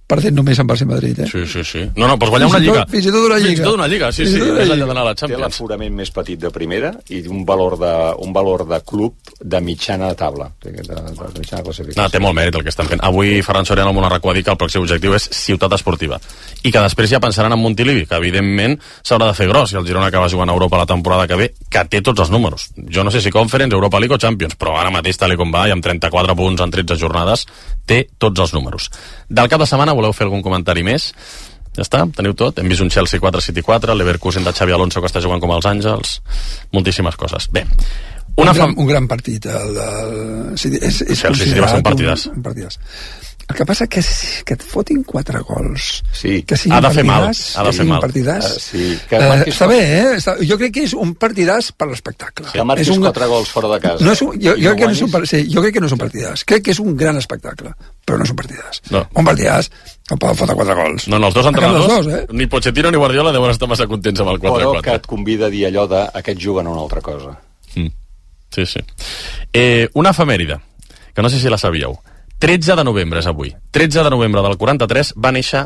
Speaker 4: perdent només amb Barça i Madrid, eh?
Speaker 3: Sí, sí, sí. No, no, pots guanyar una lliga.
Speaker 4: Fins i tot una lliga.
Speaker 3: Fins i tot una lliga, sí, sí, més enllà d'anar a la Champions.
Speaker 5: Té l'aforament més petit de primera i un valor de, un valor de club de mitjana taula, de, de, de mitjana classificació.
Speaker 3: No, té molt mèrit el que estan fent. Avui Ferran Soriano al Món a RAC u ha dit que el pròxim objectiu és ciutat esportiva. I que després ja pensaran en Montilivi, que evidentment s'haurà de fer gros, i el Girona acaba jugant a Europa la temporada que ve, que té tots els números. Jo no sé si Conference, Europa League o Champions, però ara mateix, tal com va, i amb trenta-quatre punts en tretze jornades, té tots els números. Del cap de setmana voleu fer algun comentari més? Ja està, teniu tot. Hem vist un Chelsea quatre City quatre, l'Leverkusen de Xabi Alonso que està jugant com els Àngels, moltíssimes coses. Bé, una
Speaker 4: un, gran,
Speaker 3: fam...
Speaker 4: un gran partit el, el, el, és, és
Speaker 3: Chelsea sí va ser un partidàs.
Speaker 4: Un, un partidàs. El que passa que, que et fotin quatre gols,
Speaker 5: sí.
Speaker 4: que siguin
Speaker 3: ha de fer mal,
Speaker 4: partidàs,
Speaker 3: ha de
Speaker 4: que
Speaker 3: fer mal.
Speaker 4: partidàs,
Speaker 5: uh, sí, que
Speaker 4: uh, està bé, eh? Està, jo crec que és un partidàs per l'espectacle.
Speaker 5: Que marquis un... quatre gols fora de casa.
Speaker 4: No és un, jo, jo, no crec que no és un, sí, jo crec que no és un partidàs. Crec que és un gran espectacle, però no és un partidàs.
Speaker 3: No.
Speaker 4: Un partidàs no poden fotre quatre gols.
Speaker 3: No, no, els dos entrenadors,
Speaker 4: dos, eh?
Speaker 3: ni Pochettino ni Guardiola deuen estar massa contents amb el quatre quatre.
Speaker 5: Però que et convida a dir allò de aquests juguen una altra cosa.
Speaker 3: Mm. Sí, sí. Eh, una efemèride, que no sé si la sabíeu. tretze de novembre és avui. tretze de novembre del quaranta-tres va néixer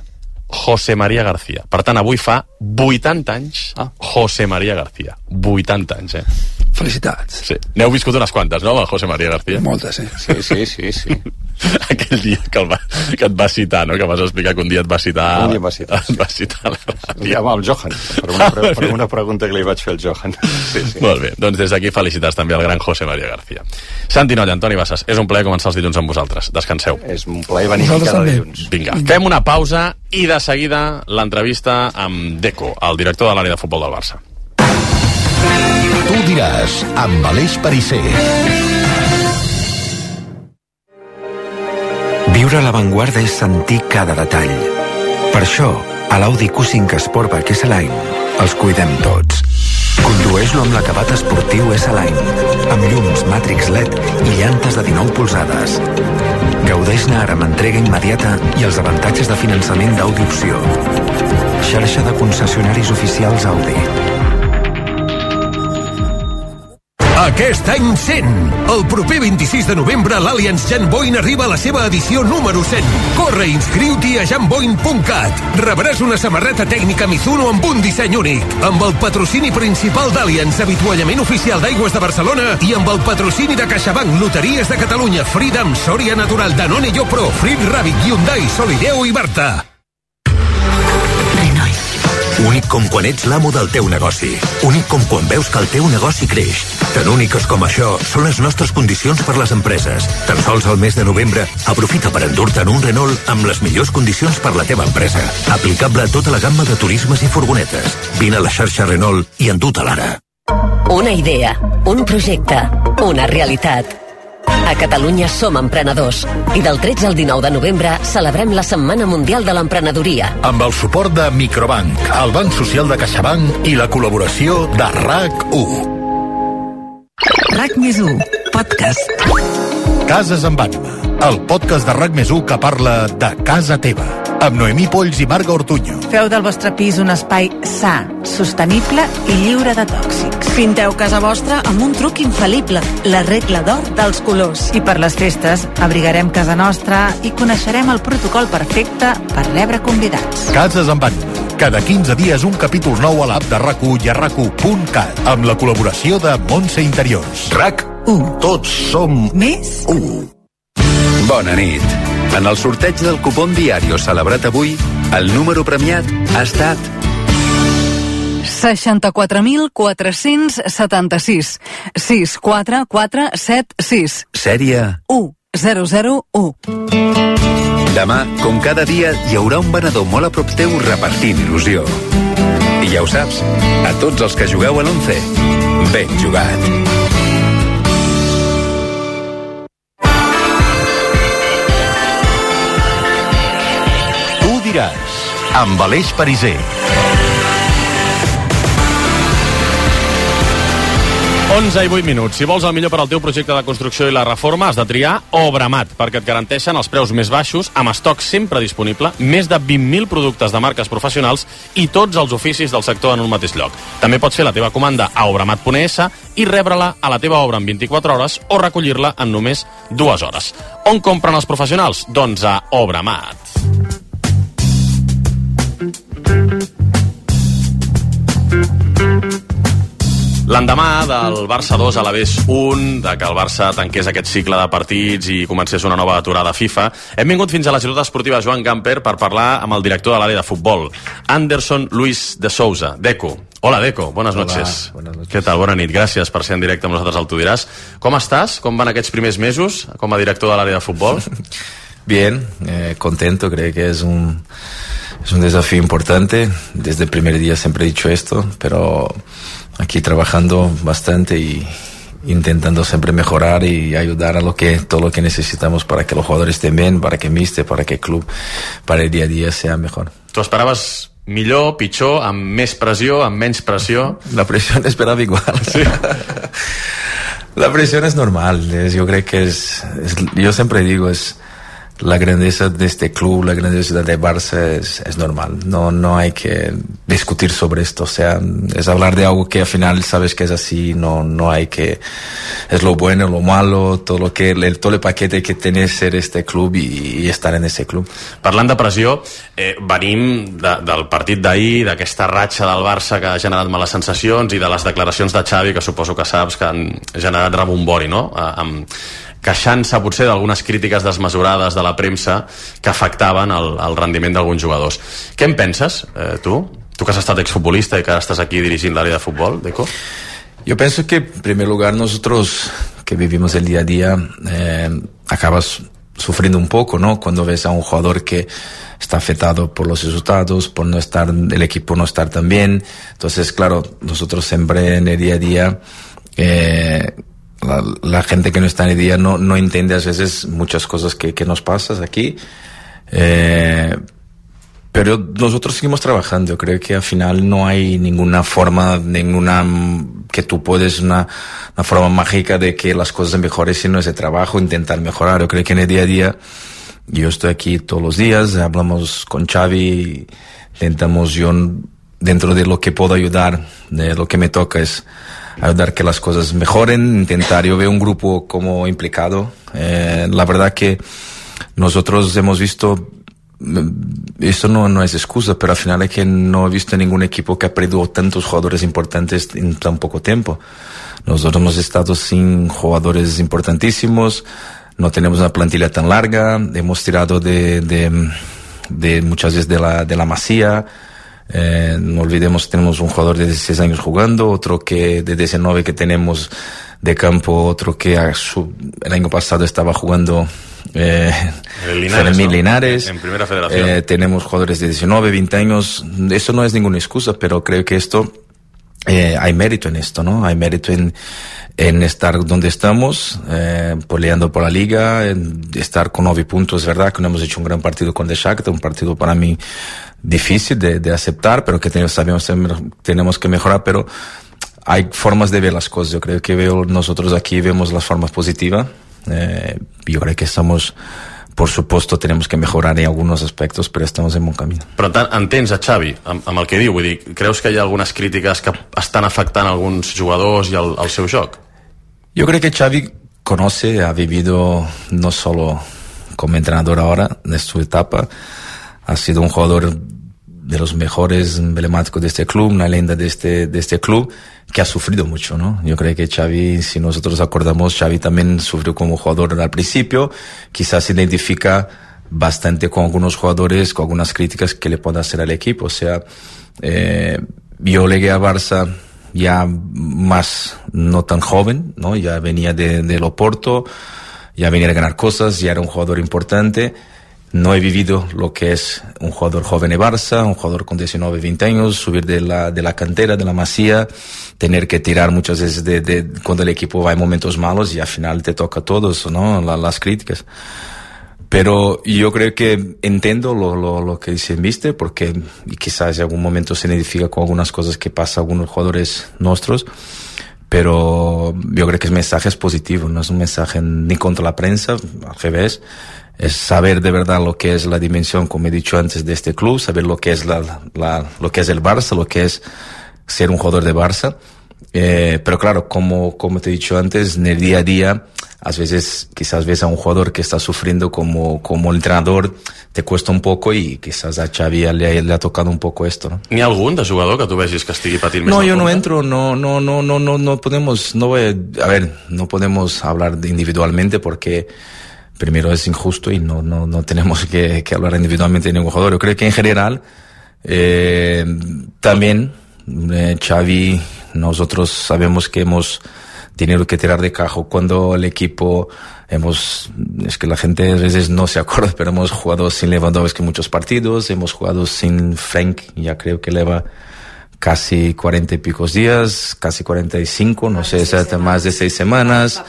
Speaker 3: José María García. Per tant, avui fa vuitanta anys ah. José María García. vuitanta anys, eh?
Speaker 4: Felicitats.
Speaker 3: Sí. N'heu viscut unes quantes, no, amb el José María García?
Speaker 4: Moltes, sí.
Speaker 5: Sí, sí, sí, sí.
Speaker 3: Aquell dia que, el va, que et va citar, no? Que vas explicar que un dia et va citar...
Speaker 5: Un dia em va citar.
Speaker 3: Et va citar a la ràdio.
Speaker 5: Amb el Johan, per una, pre per una pregunta que li vaig fer al Johan. Sí, sí.
Speaker 3: Molt bé, doncs des d'aquí felicitats també al gran José María García. Santi Nolla, Antoni Bassas, és un plaer començar els dilluns amb vosaltres. Descanseu.
Speaker 5: És un plaer venir cada dilluns.
Speaker 3: Vinga, fem una pausa i de seguida l'entrevista amb Deco, el director de l'àrea de futbol del Barça.
Speaker 2: Tu diràs, amb Aleix Pariser.
Speaker 13: Viure a l'avantguarda és sentir cada detall. Per això, a l'Audi Q cinc Sportback S-Line els cuidem tots. Condueix-lo amb l'acabat esportiu S-Line, amb llums Matrix L E D i llantes de dinou polzades. Gaudeix-ne ara amb entrega immediata i els avantatges de finançament d'Audi Opció. Xarxa de concessionaris oficials Audi.
Speaker 2: Aquest any cent. El proper vint-i-sis de novembre l'Allianz Jan Boyne arriba a la seva edició número cent. Corre i inscriu-t'hi a jan boyne punt cat. Rebràs una samarreta tècnica Mizuno amb un disseny únic. Amb el patrocini principal d'Allianz, avituallament oficial d'Aigües de Barcelona i amb el patrocini de CaixaBank, Loteries de Catalunya, Freedom, Soria Natural, Danone Yopro, Frit Rabbit, Hyundai, Solideo i Barta.
Speaker 14: Únic com quan ets l'amo del teu negoci. Únic com quan veus que el teu negoci creix. Tan úniques com això són les nostres condicions per les empreses. Tan sols al mes de novembre, aprofita per endur-te'n un Renault amb les millors condicions per la teva empresa. Aplicable a tota la gamma de turismes i furgonetes. Vine a la xarxa Renault i endú-te'l ara.
Speaker 15: Una idea, un projecte, una realitat. A Catalunya som emprenedors i del tretze al dinou de novembre celebrem la Setmana Mundial de l'Emprenedoria.
Speaker 2: Amb el suport de Microbank, el Banc Social de CaixaBank i la col·laboració de RAC u.
Speaker 16: RAC més u, podcast.
Speaker 2: Cases amb ànima, el podcast de RAC més u que parla de casa teva, amb Noemí Polls i Marga Ortuño.
Speaker 16: Feu del vostre pis un espai sa, sostenible i lliure de tòxics. Pinteu casa vostra amb un truc infal·lible, la regla d'or dels colors. I per les festes abrigarem casa nostra i coneixerem el protocol perfecte per rebre convidats.
Speaker 2: Cases amb ànima, cada quinze dies un capítol nou a l'app de RAC u i a rac u punt cat, amb la col·laboració de Montse Interiors.
Speaker 14: RAC u. Tots som
Speaker 16: més
Speaker 14: u.
Speaker 11: Bona nit. En el sorteig del cupón Diario celebrat avui, el número premiat ha estat
Speaker 17: seixanta-quatre mil quatre-cents setanta-sis. sis quatre quatre set sis.
Speaker 11: Sèrie
Speaker 17: u zero zero u.
Speaker 11: Demà, com cada dia, hi haurà un venedor molt a prop teu repartint il·lusió. I ja ho saps, a tots els que jugueu a l'once, ben jugat.
Speaker 2: Tu diràs, amb Aleix Pariser.
Speaker 3: onze i vuit minuts. Si vols el millor per al teu projecte de construcció i la reforma, has de triar Obramat, perquè et garanteixen els preus més baixos, amb estoc sempre disponible, més de vint mil productes de marques professionals i tots els oficis del sector en un mateix lloc. També pots fer la teva comanda a obramat punt es i rebre-la a la teva obra en vint-i-quatre hores o recollir-la en només dues hores. On compren els professionals? Doncs a Obramat. L'endemà del Barça dos a l'Alavés un, de que el Barça tanqués aquest cicle de partits i comencés una nova aturada FIFA, hem vingut fins a la ciutat esportiva Joan Gamper per parlar amb el director de l'àrea de futbol, Anderson Luis de Souza, Deco. Hola, Deco, buenas
Speaker 18: Hola,
Speaker 3: noches.
Speaker 18: buenas noches.
Speaker 3: Què tal? Bona nit, gràcies per ser en directe amb nosaltres al Tu diràs. Com estàs? Com van aquests primers mesos com a director de l'àrea de futbol?
Speaker 18: Bien, eh, contento, creo que es un, es un desafío importante. Desde el primer día siempre he dicho esto, pero aquí trabajando bastante y, intentando siempre mejorar y ayudar a lo que todo lo que necesitamos para que los jugadores estén bien, para que el míster, para que el club, para el día a día sea mejor.
Speaker 3: Tu esperaves millor, pitjor, amb més pressió, amb menys pressió?
Speaker 18: La presión esperaba igual. Sí. La presión es normal. Es, yo creo que es, es, yo siempre digo, es la grandeza de este club, la grandeza de Barça es, es normal. No, no hay que discutir sobre esto. O sea, es hablar de algo que al final sabes que es así. No, no hay que, es lo bueno, lo malo, todo lo que, el, todo el paquete que tiene ser este club y, y estar en ese club.
Speaker 3: Parlant de pressió, eh, venim de, del partit d'ahir, d'aquesta ratxa del Barça que ha generat males sensacions i de les declaracions de Xavi, que suposo que saps que han generat rebombori, no? Eh, amb queixant-se potser d'algunes crítiques desmesurades de la premsa que afectaven el, el rendiment d'alguns jugadors. Què en penses, eh, tu? Tu que has estat exfutbolista i que ara estàs aquí dirigint l'àrea de futbol, Deco.
Speaker 18: Yo pienso que en primer lugar nosotros que vivimos el día a día eh, acabas sufriendo un poco, ¿no? Cuando ves a un jugador que está afectado por los resultados, por no estar, el equipo no estar tan bien. Entonces, claro, nosotros siempre en el día a día eh, La, la gente que no está en el día no, no entiende a veces muchas cosas que, que nos pasan aquí, eh, pero nosotros seguimos trabajando. Yo creo que al final no hay ninguna forma, ninguna que tú puedes, una, una forma mágica de que las cosas mejoren, sino ese trabajo, intentar mejorar. Yo creo que en el día a día, yo estoy aquí todos los días, hablamos con Xavi, intentamos yo dentro de lo que puedo ayudar, de lo que me toca es ayudar que las cosas mejoren, intentar. Yo veo un grupo como implicado. Eh, la verdad que nosotros hemos visto, esto no, no es excusa, pero al final es que no he visto ningún equipo que ha perdido tantos jugadores importantes en tan poco tiempo. Nosotros hemos estado sin jugadores importantísimos, no tenemos una plantilla tan larga, hemos tirado de, de, de muchas veces de la, de la masía. Eh, no olvidemos, tenemos un jugador de dieciséis años jugando, otro que de diecinueve que tenemos de campo, otro que a su, el año pasado estaba jugando eh,
Speaker 3: el Linares,
Speaker 18: Fermín
Speaker 3: ¿no?
Speaker 18: Linares.
Speaker 3: En primera federación.
Speaker 18: Eh, tenemos jugadores de diecinueve, veinte años. Eso no es ninguna excusa, pero creo que esto eh, hay mérito en esto, ¿no? Hay mérito en, en estar donde estamos, eh, peleando por la liga, en estar con nueve puntos. Es verdad que no hemos hecho un gran partido con el Shakhtar, un partido para mí difícil de, de aceptar, pero que tenemos, sabemos, tenemos que mejorar, pero hay formas de ver las cosas. Yo creo que veo, nosotros aquí vemos las formas positivas. Eh, yo creo que estamos, por supuesto, tenemos que mejorar en algunos aspectos, però estamos en bon camí.
Speaker 3: Però entens a Xavi amb, amb el que diu? Vull dir, creus que hi ha algunes crítiques que estan afectant alguns jugadors i el, el seu joc?
Speaker 18: Yo creo que Xavi conoce, ha vivido no solo como entrenador ahora, en su etapa, ha sido un jugador de los mejores emblemáticos de este club, una leyenda de este, de este club, que ha sufrido mucho, ¿no? Yo creo que Xavi, si nosotros acordamos, Xavi también sufrió como jugador al principio, quizás se identifica bastante con algunos jugadores, con algunas críticas que le puede hacer al equipo. O sea, eh, yo llegué a Barça ya más, no tan joven, ¿no? Ya venía de, de Oporto, ya venía a ganar cosas, ya era un jugador importante. No he vivido lo que es un jugador joven de Barça, un jugador con diecinueve, veinte años, subir de la, de la cantera, de la masía, tener que tirar muchas veces de, de cuando el equipo va en momentos malos y al final te toca a todos, ¿no? La, las críticas. Pero yo creo que entiendo lo, lo, lo que dice el míster, porque quizás en algún momento se identifica con algunas cosas que pasa a algunos jugadores nuestros, pero yo creo que el mensaje es positivo, no es un mensaje ni contra la prensa, al revés. Es saber de verdad lo que es la dimensión, como he dicho antes, de este club, saber lo que es la, la, lo que es el Barça, lo que es ser un jugador de Barça. Eh, pero claro, como, como te he dicho antes, en el día a día, a veces quizás ves a un jugador que está sufriendo como, como entrenador, te cuesta un poco y quizás a Xavi le, le ha tocado un poco esto, ¿no?
Speaker 3: N'hi ha algun de jugador que tu vegis que estigui patint més?
Speaker 18: No, yo no entro, no, no, no, no, no, no podemos, no voy a, a ver, no podemos hablar individualmente porque primero es injusto y no, no, no tenemos que, que hablar individualmente de ningún jugador. Yo creo que en general, eh, también, eh, Xavi, nosotros sabemos que hemos tenido que tirar de cajo cuando el equipo hemos, es que la gente a veces no se acuerda, pero hemos jugado sin Lewandowski muchos partidos, hemos jugado sin Frank, ya creo que lleva casi cuarenta y pico días, casi cuarenta y cinco, no sé, exactamente, más de seis semanas.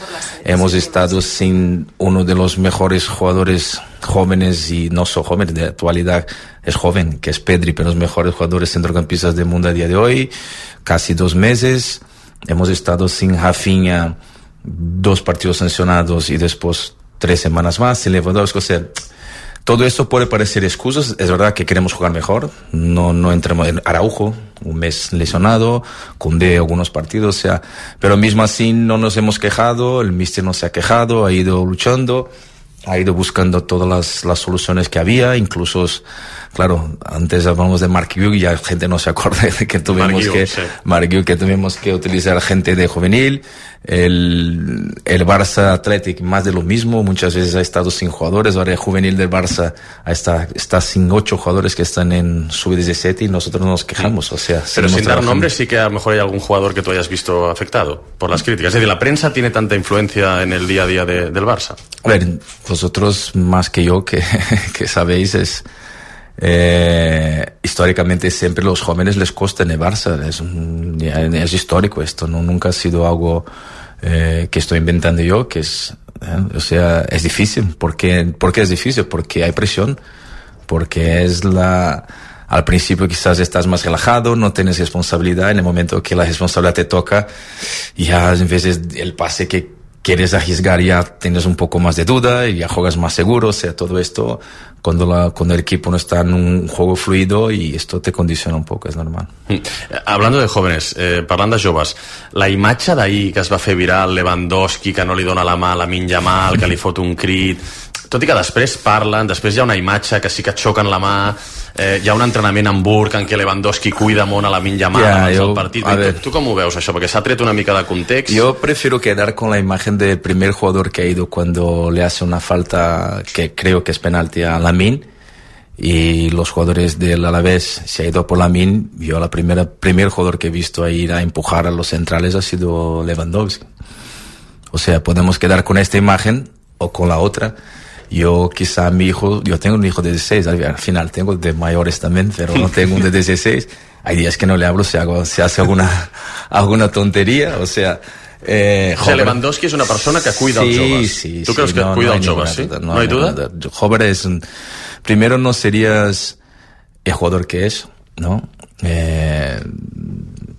Speaker 18: Hemos estado sin uno de los mejores jugadores jóvenes, y no son jóvenes, de actualidad es joven, que es Pedri, pero los mejores jugadores centrocampistas del mundo a día de hoy, casi dos meses. Hemos estado sin Rafinha, dos partidos sancionados y después tres semanas más, sin Lewandowski, o sea, todo esto puede parecer excusas. Es verdad que queremos jugar mejor, no, no entremos en Araujo, un mes lesionado, Koundé algunos partidos, o sea, pero mismo así no nos hemos quejado, el míster no se ha quejado, ha ido luchando, ha ido buscando todas las, las soluciones que había, incluso, claro, antes hablamos de Marc Guiu y ya la gente no se acuerda de que tuvimos que, sí. Marc Guiu, que tuvimos que utilizar gente de juvenil. El, el Barça Athletic, más de lo mismo, muchas veces ha estado sin jugadores. Ahora el juvenil del Barça está, está sin ocho jugadores que están en sub diecisiete y nosotros nos quejamos, o sea,
Speaker 3: pero sin dar nombres, sí que a lo mejor hay algún jugador que tú hayas visto afectado por las críticas. Es decir, ¿la prensa tiene tanta influencia en el día a día de, del Barça?
Speaker 18: A ver, vosotros más que yo que, que sabéis, es Eh, históricamente siempre los jóvenes les cuesta en el Barça, es, un, es histórico esto, no nunca ha sido algo eh, que estoy inventando yo, que es, eh, o sea, es difícil. ¿Por qué? ¿Por qué es difícil? Porque hay presión, porque es la, al principio quizás estás más relajado, no tienes responsabilidad, en el momento que la responsabilidad te toca, ya en vez del pase que quieres arriesgar ya tienes un poco más de duda y ya juegas más seguro, o sea, todo esto cuando, la, cuando el equipo no está en un juego fluido, y esto te condiciona un poco, es normal.
Speaker 3: Hablando de jóvenes, eh, parlant de joves, la imatge d'ahir que es va fer viral, Lewandowski que no li dona la mà a Lamine Yamal, que li fot un crit, tot i que després parlen, després hi ha una imatge que sí que et xoquen la mà, eh, hi ha un entrenament a Hamburg en què Lewandowski cuida molt a Lamine Yamal yeah, abans yo, del partit. Tu, tu com ho veus això? Perquè s'ha tret una mica de context.
Speaker 18: Yo prefiero quedar con la imagen del primer jugador que ha ido cuando le hace una falta que creo que es penalti a Lamine, y los jugadores del Alavés se ha ido por Lamine. Yo la primera primer jugador que he visto a ir a empujar a los centrales ha sido Lewandowski. O sea, podemos quedar con esta imagen o con la otra. Yo quizá mi hijo, yo tengo un hijo de dieciséis, al final tengo de mayores también, pero no tengo un de dieciséis. Hay días que no le hablo, se, hago, se hace alguna, alguna tontería, o sea... Eh,
Speaker 3: o sea, Lewandowski es una persona que cuida
Speaker 18: sí,
Speaker 3: als joves.
Speaker 18: Sí,
Speaker 3: ¿Tú
Speaker 18: sí,
Speaker 3: crees que
Speaker 18: no,
Speaker 3: cuida
Speaker 18: no
Speaker 3: als joves? ¿Sí?
Speaker 18: Duda,
Speaker 3: ¿No, no hay duda?
Speaker 18: duda? Jover es un... Primero no serías el jugador que es, ¿no? Eh,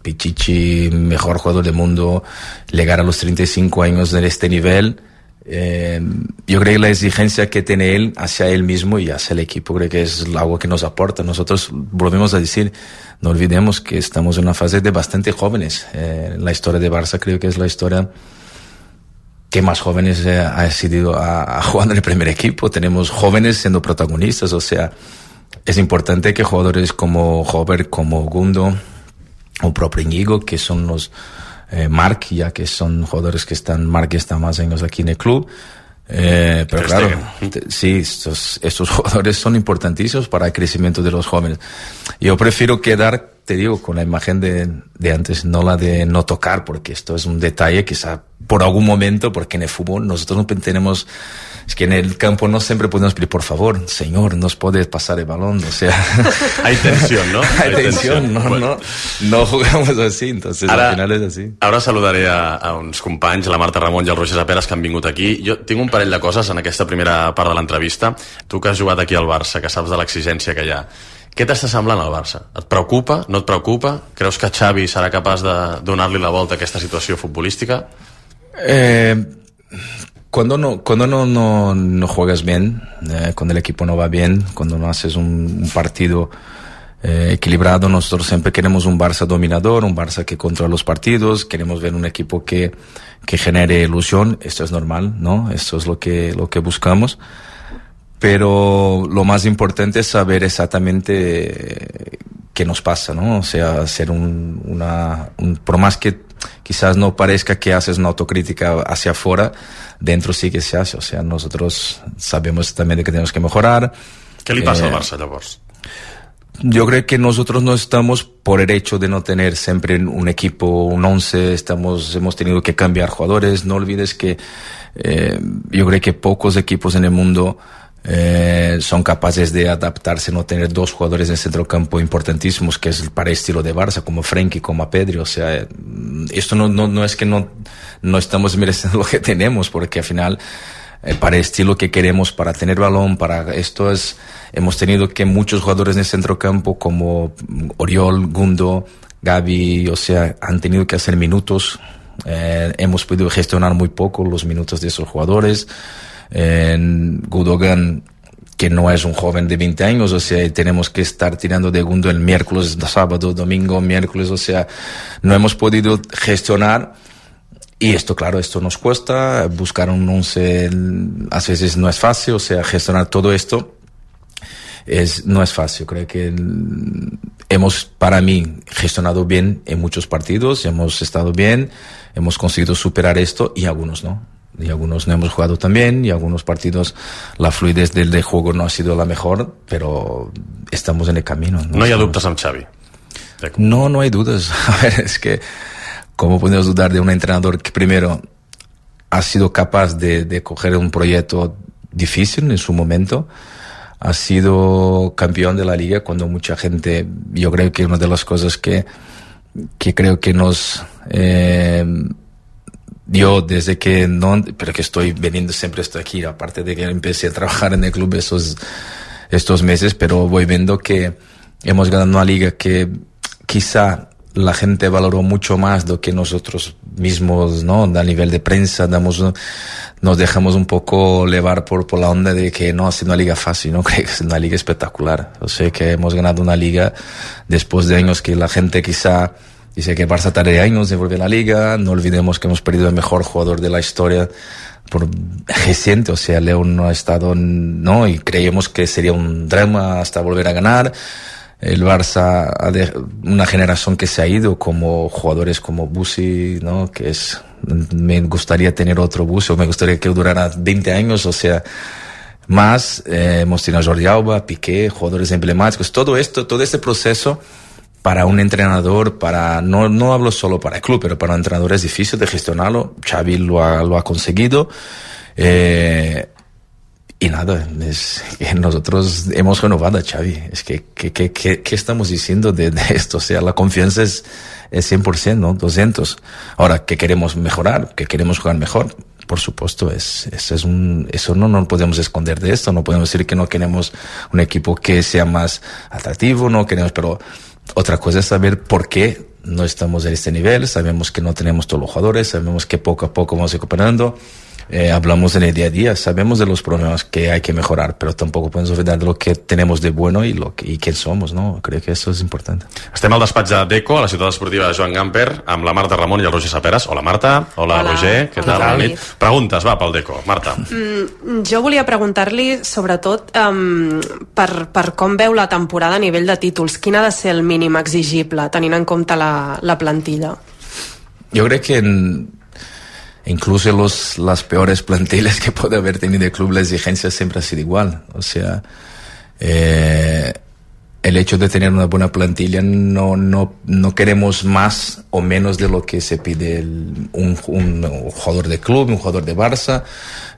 Speaker 18: Pichichi, mejor jugador del mundo, llegar a los treinta y cinco años de este nivel... Eh, yo creo que la exigencia que tiene él hacia él mismo y hacia el equipo, creo que es algo que nos aporta. Nosotros volvemos a decir, no olvidemos que estamos en una fase de bastante jóvenes. Eh, la historia de Barça creo que es la historia que más jóvenes eh, ha decidido a, a jugar en el primer equipo. Tenemos jóvenes siendo protagonistas, o sea, es importante que jugadores como Hover, como Gundo o propio Íñigo, que son los Eh, Marc, ya que son jugadores que están, Marc está más años aquí en el club, eh, pero claro, te, sí, estos, estos jugadores son importantísimos para el crecimiento de los jóvenes. Yo prefiero quedar, te digo, con la imagen de, de antes, no la de no tocar, porque esto es un detalle quizá por algún momento, porque en el fútbol nosotros no tenemos, es que en el campo no siempre podemos pedir, por favor, señor, nos puedes pasar el balón, o sea...
Speaker 3: Hay tensión, ¿no?
Speaker 18: Hay, Hay tensión, tensión. No, bueno. no, no jugamos así, entonces
Speaker 3: ara,
Speaker 18: al final es así.
Speaker 3: Ara saludaré a, a uns companys, la Marta Ramon i el Roger Saperas, que han vingut aquí. Jo tinc un parell de coses en aquesta primera part de l'entrevista. Tu que has jugat aquí al Barça, que saps de l'exigència que hi ha, què t'està semblant al Barça? Et preocupa? No et preocupa? Creus que Xavi serà capaç de donar-li la volta a aquesta situació futbolística?
Speaker 18: Eh, cuando no, cuando no, no, no juegas bien, eh, cuando el equipo no va bien, cuando no haces un, un partido eh, equilibrado, nosotros siempre queremos un Barça dominador, un Barça que controla los partidos, queremos ver un equipo que, que genere ilusión. Esto es normal, ¿no? Esto es lo que, lo que buscamos. Pero lo más importante es saber exactamente qué nos pasa, ¿no? O sea, hacer un, una, un, por más que quizás no parezca que haces una autocrítica hacia afuera, dentro sí que se hace. O sea, nosotros sabemos también de que tenemos que mejorar.
Speaker 3: ¿Qué le pasa eh, al Barça, llavors?
Speaker 18: Yo creo que nosotros no estamos por el hecho de no tener siempre un equipo, un once, estamos, hemos tenido que cambiar jugadores. No olvides que eh, yo creo que pocos equipos en el mundo Eh, son capaces de adaptarse, no tener dos jugadores en el centrocampo importantísimos, que es para el estilo de Barça, como Frenkie, como Pedri. O sea, esto no, no, no es que no, no estamos mereciendo lo que tenemos, porque al final, eh, para el estilo que queremos, para tener balón, para esto es, hemos tenido que muchos jugadores en el centrocampo, como Oriol, Gundo, Gavi, o sea, han tenido que hacer minutos. Eh, hemos podido gestionar muy poco los minutos de esos jugadores. En Gundogan, que no es un joven de veinte años, o sea, tenemos que estar tirando de Gundo el miércoles, sábado, domingo, miércoles, o sea, no hemos podido gestionar, y esto, claro, esto nos cuesta, buscar un once a veces no es fácil, o sea, gestionar todo esto es, no es fácil. Creo que hemos, para mí, gestionado bien en muchos partidos, hemos estado bien, hemos conseguido superar esto, y algunos no. Y algunos no hemos jugado tan bien, y algunos partidos la fluidez del de juego no ha sido la mejor, pero estamos en el camino.
Speaker 3: No, no hay dubtes amb Xavi.
Speaker 18: No, no hay dudas. A ver, es que ¿cómo podemos dudar de un entrenador que primero ha sido capaz de, de coger un proyecto difícil en su momento? Ha sido campeón de la liga cuando mucha gente, yo creo que una de las cosas que, que creo que nos... Eh, Yo desde que no, pero que estoy veniendo, siempre estoy aquí, aparte de que empecé a trabajar en el club esos, estos meses, pero voy viendo que hemos ganado una liga que quizá la gente valoró mucho más do que nosotros mismos, ¿no? A nivel de prensa, damos, nos dejamos un poco llevar por, por la onda de que no ha sido una liga fácil, no creo que es una liga espectacular. O sea que hemos ganado una liga después de años que la gente quizá dice que Barça tarde años de volver a la liga. No olvidemos que hemos perdido el mejor jugador de la historia por reciente, o sea, León no ha estado, no, y creíamos que sería un drama hasta volver a ganar. El Barça ha de, una generación que se ha ido, como jugadores como Busi, ¿no? Que es, me gustaría tener otro Busi, o me gustaría que durara veinte años, o sea, más. Eh, hemos tenido a Jordi Alba, Piqué, jugadores emblemáticos. Todo esto, todo este proceso, para un entrenador, para no, no hablo solo para el club, pero para un entrenador es difícil de gestionarlo. Xavi lo ha, lo ha conseguido. Eh, y nada, es que nosotros hemos renovado a Xavi. Es que, ¿qué que, que, que estamos diciendo de, de esto? O sea, la confianza es, es cien por ciento, ¿no? doscientos. Ahora, ¿qué queremos mejorar? ¿Qué queremos jugar mejor? Por supuesto, es, es, es un, eso no nos podemos esconder de esto. No podemos decir que no queremos un equipo que sea más atractivo, no queremos, pero otra cosa es saber por qué no estamos en este nivel. Sabemos que no tenemos todos los jugadores, sabemos que poco a poco vamos recuperando. Eh, hablamos en el día a día, sabemos de los problemas que hay que mejorar, pero tampoco podemos olvidar de lo que tenemos de bueno y, lo que, y quién somos, ¿no? Creo que eso es importante.
Speaker 3: Estem al despatx de Deco, a la ciutat esportiva de Joan Gamper, amb la Marta Ramon i el Roger Saperas. Hola, Marta. Hola, Hola. Roger. Què tal? Bona nit. Preguntes, va, pel Deco. Marta.
Speaker 19: Mm, jo volia preguntar-li, sobretot, um, per, per com veu la temporada a nivell de títols. Quin ha de ser el mínim exigible, tenint en compte la, la plantilla?
Speaker 18: Jo crec que en... incluso los, las peores plantillas que puede haber tenido el club, la exigencia siempre ha sido igual. O sea, eh, el hecho de tener una buena plantilla, no, no, no queremos más o menos de lo que se pide el, un, un, un jugador de club, un jugador de Barça,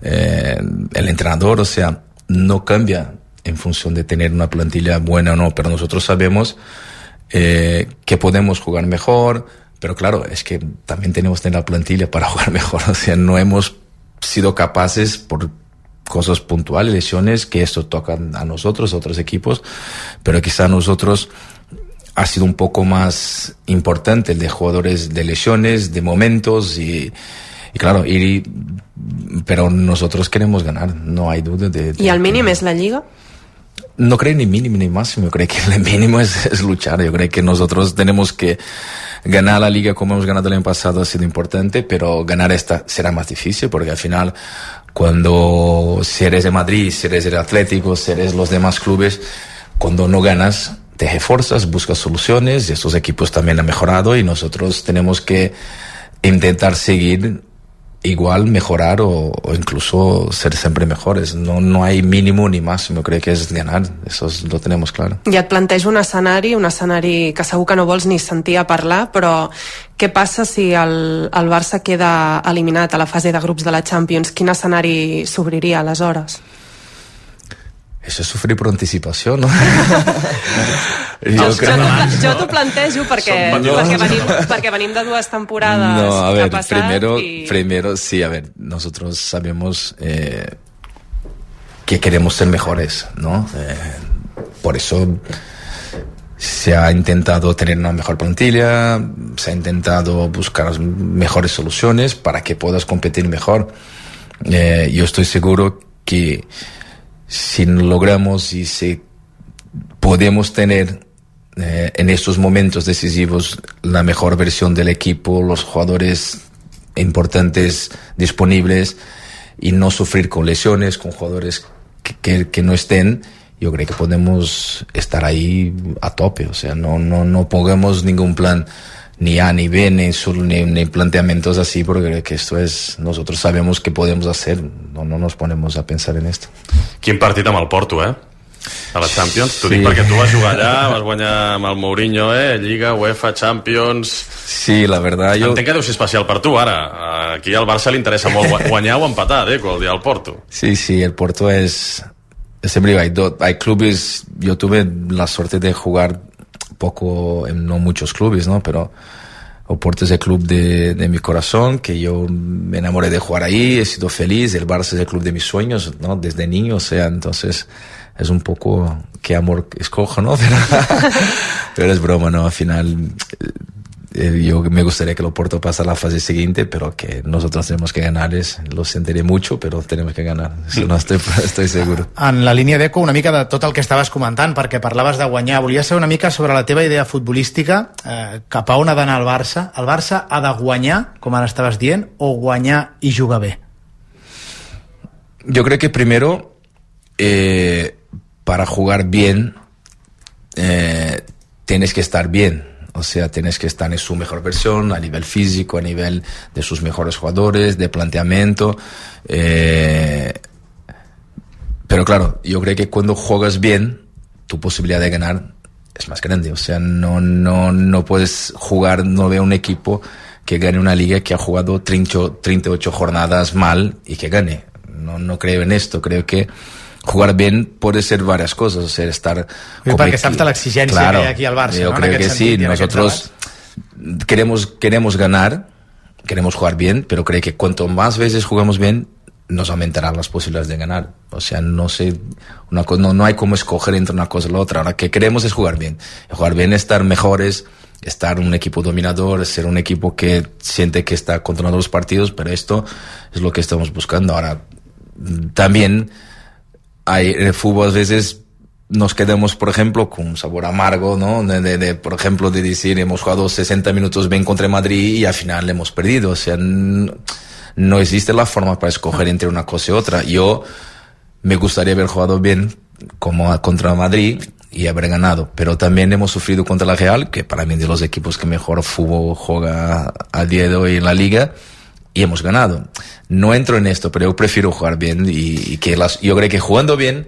Speaker 18: eh, el entrenador. O sea, no cambia en función de tener una plantilla buena o no, pero nosotros sabemos eh, que podemos jugar mejor. Pero claro, es que también tenemos que tener la plantilla para jugar mejor. O sea, no hemos sido capaces por cosas puntuales, lesiones, que esto toca a nosotros, a otros equipos, pero quizá a nosotros ha sido un poco más importante el de jugadores de lesiones, de momentos, y, y claro, y, pero nosotros queremos ganar, no hay duda de... de
Speaker 19: ¿Y el mínimo es la Liga?
Speaker 18: No creo ni mínimo ni máximo, yo creo que el mínimo es, es luchar. Yo creo que nosotros tenemos que ganar la Liga como hemos ganado el año pasado, ha sido importante, pero ganar esta será más difícil, porque al final, cuando si eres de Madrid, si eres el Atlético, si eres los demás clubes, cuando no ganas, te esfuerzas, buscas soluciones, y estos equipos también han mejorado, y nosotros tenemos que intentar seguir igual, mejorar o, o incluso ser siempre mejores. No, no hay mínimo ni máximo, crec que és ganar, això es, lo tenemos claro.
Speaker 19: I et plantejo un escenari, un escenari que segur que no vols ni sentir a parlar, però què passa si el, el Barça queda eliminat a la fase de grups de la Champions? Quin escenari s'obriria aleshores?
Speaker 18: Eso es sufrir por anticipació, no?
Speaker 19: jo crec... jo, jo t'ho plantejo perquè, perquè, venim, perquè venim de dues temporades
Speaker 18: no, a ver,
Speaker 19: que ha passat
Speaker 18: primero,
Speaker 19: y...
Speaker 18: primero, sí, a ver, nosotros sabemos eh, que queremos ser mejores, ¿no? Eh, por eso se ha intentado tener una mejor plantilla, se ha intentado buscar mejores soluciones para que puedas competir mejor. Eh, yo estoy seguro que si logramos y si podemos tener eh, en estos momentos decisivos la mejor versión del equipo, los jugadores importantes disponibles y no sufrir con lesiones, con jugadores que, que, que no estén, yo creo que podemos estar ahí a tope. O sea, no, no, no pongamos ningún plan ni A ni B ni, ni, ni planteamientos así, porque creo que esto es, nosotros sabemos que podemos hacer, no, no nos ponemos a pensar en esto.
Speaker 3: Quin partit amb el Porto, eh? A la Champions. T'ho sí. dic perquè tu vas jugar allà, vas guanyar amb el Mourinho, eh? Lliga, UEFA, Champions...
Speaker 18: Sí, la verdad, yo...
Speaker 3: Entenc que deu ser especial per tu, ara. Aquí al Barça li interessa molt guanyar o empatar, eh? El dia del Porto.
Speaker 18: Sí, sí, el Porto es... Siempre digo, hay, do... hay clubes... Yo tuve la suerte de jugar poco en no muchos clubes, ¿no? Pero Oporto es el club de, de mi corazón, que yo me enamoré de jugar ahí, he sido feliz. El Barça es el club de mis sueños, ¿no? Desde niño, o sea, entonces es un poco qué amor escojo, ¿no? Pero, pero es broma, ¿no? Al final eh, yo me gustaría que el Oporto pase a la fase siguiente, pero que nosotros tenemos que ganarles. Lo sentiré mucho, però tenemos que ganar. Eso no estoy, estoy seguro.
Speaker 20: En la línia d'eco, una mica de tot el que estaves comentant, perquè parlaves de guanyar. Volia saber una mica sobre la teva idea futbolística, eh, cap a on ha d'anar el Barça. El Barça ha de guanyar, com ara estaves dient, o guanyar i jugar bé?
Speaker 18: Yo creo que primero, eh, para jugar bien, eh, tienes que estar bien. O sea, tienes que estar en su mejor versión, a nivel físico, a nivel de sus mejores jugadores, de planteamiento. Eh, pero claro, yo creo que cuando juegas bien, tu posibilidad de ganar es más grande. O sea, no, no, no puedes jugar, no veo un equipo que gane una liga que ha jugado treinta y ocho jornadas mal y que gane. No, no creo en esto. Creo que jugar bien puede ser varias cosas, o sea, estar...
Speaker 20: Perquè saps de l'exigència
Speaker 18: claro,
Speaker 20: que hi ha aquí al Barça,
Speaker 18: yo
Speaker 20: ¿no?
Speaker 18: creo que sí, nosotros queremos, queremos ganar, queremos jugar bien, pero creo que cuanto más veces jugamos bien, nos aumentarán las posibilidades de ganar. O sea, no sé, una cosa, no, no hay como escoger entre una cosa y la otra. Ahora, que queremos es jugar bien. Jugar bien es estar mejores, estar un equipo dominador, ser un equipo que siente que está controlando los partidos, pero esto es lo que estamos buscando. Ahora, también... Hay, en el fútbol a veces nos quedamos, por ejemplo, con un sabor amargo, ¿no? De, de, de, por ejemplo, de decir, hemos jugado sesenta minutos bien contra Madrid y al final le hemos perdido. O sea, no, no existe la forma para escoger entre una cosa y otra. Yo me gustaría haber jugado bien como contra Madrid y haber ganado, pero también hemos sufrido contra la Real, que para mí es de los equipos que mejor fútbol juega a día de hoy en la Liga, y hemos ganado. No entro en esto, pero yo prefiero jugar bien y, y que las, yo creo que jugando bien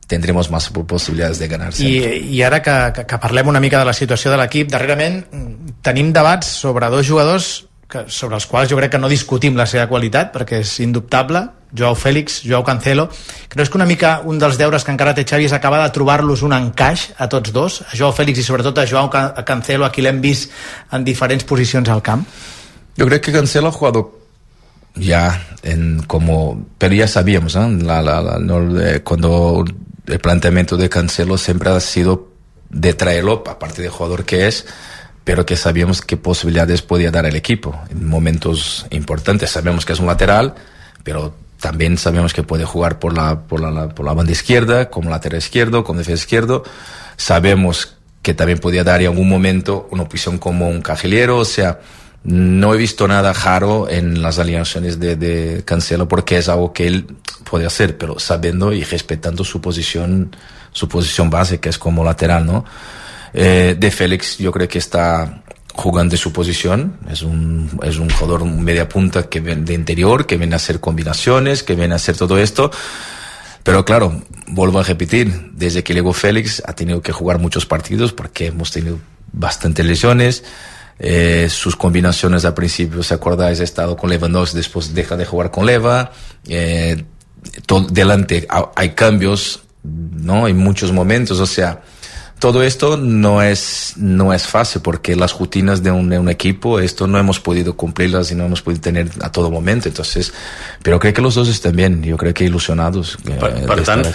Speaker 18: tendremos más possibilitats de ganar.
Speaker 20: I, i ara que, que, que parlem una mica de la situació de l'equip, darrerament tenim debats sobre dos jugadors que, sobre els quals jo crec que no discutim la seva qualitat, perquè és indubtable, Joao Félix, Joao Cancelo. Creus que una mica un dels deures que encara té Xavi és acabar de trobar-los un encaix a tots dos, a Joao Félix i sobretot a Joao Cancelo, a qui l'hem vist en diferents posicions al camp?
Speaker 18: Jo crec que Cancelo ha jugado ya en como, pero ya sabíamos, ¿eh? la, la, la, no, eh, cuando el planteamiento de Cancelo siempre ha sido de traerlo, aparte de jugador que es, pero que sabíamos qué posibilidades podía dar el equipo en momentos importantes. Sabemos que es un lateral, pero también sabemos que puede jugar por la, por la, la, por la banda izquierda, como lateral izquierdo, como defensa izquierdo. Sabemos que también podía dar en algún momento una posición como un cajillero, o sea, no he visto nada raro en las alineaciones de, de Cancelo porque es algo que él puede hacer, pero sabiendo y respetando su posición, su posición base, que es como lateral, ¿no? Eh, de Félix yo creo que está jugando en su posición, es un, es un jugador media punta que viene de interior, que viene a hacer combinaciones, que viene a hacer todo esto, pero claro, vuelvo a repetir, desde que llegó Félix ha tenido que jugar muchos partidos porque hemos tenido bastantes lesiones. Eh, sus combinaciones al principio, ¿se acordáis? Ha estado con Lewandowski, después deja de jugar con Leva. Eh, todo, delante hay cambios ¿no? En muchos momentos, o sea, todo esto no es, no es fácil porque las rutinas de un, de un equipo, esto no hemos podido cumplirlas y no hemos podido tener a todo momento. Entonces, pero creo que los dos están bien, yo creo que ilusionados. Eh,
Speaker 3: per, per tant,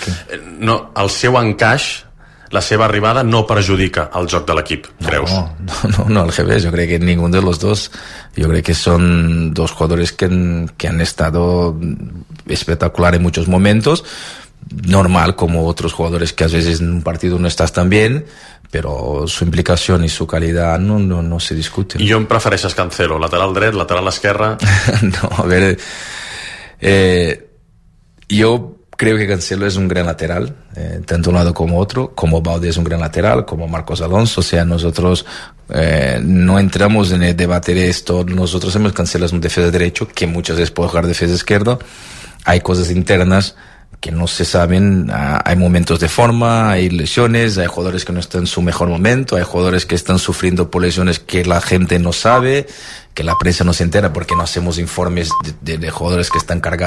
Speaker 3: no, el seu encaix, la seva arribada no perjudica el joc de l'equip, creus?
Speaker 18: No, no, no, no, al revés, yo creo que ninguno de los dos, yo creo que son dos jugadores que han, que han estado espectacular en muchos momentos, normal como otros jugadores que a veces en un partido no estás tan bien, però su implicació i su calidad no, no, no se discuten.
Speaker 3: I on prefereixes Cancelo? Lateral dret, lateral esquerra?
Speaker 18: No, a ver, eh, yo creo que Cancelo es un gran lateral, eh, tanto un lado como otro, como Balde es un gran lateral, como Marcos Alonso, o sea, nosotros eh, no entramos en el debate de esto, nosotros hemos Cancelo es un defensa derecho, que muchas veces puede jugar defensa izquierdo, hay cosas internas que no se saben, hay momentos de forma, hay lesiones, hay jugadores que no están en su mejor momento, hay jugadores que están sufriendo por lesiones que la gente no sabe, que la prensa no se entera porque no hacemos informes de, de, de jugadores que están cargados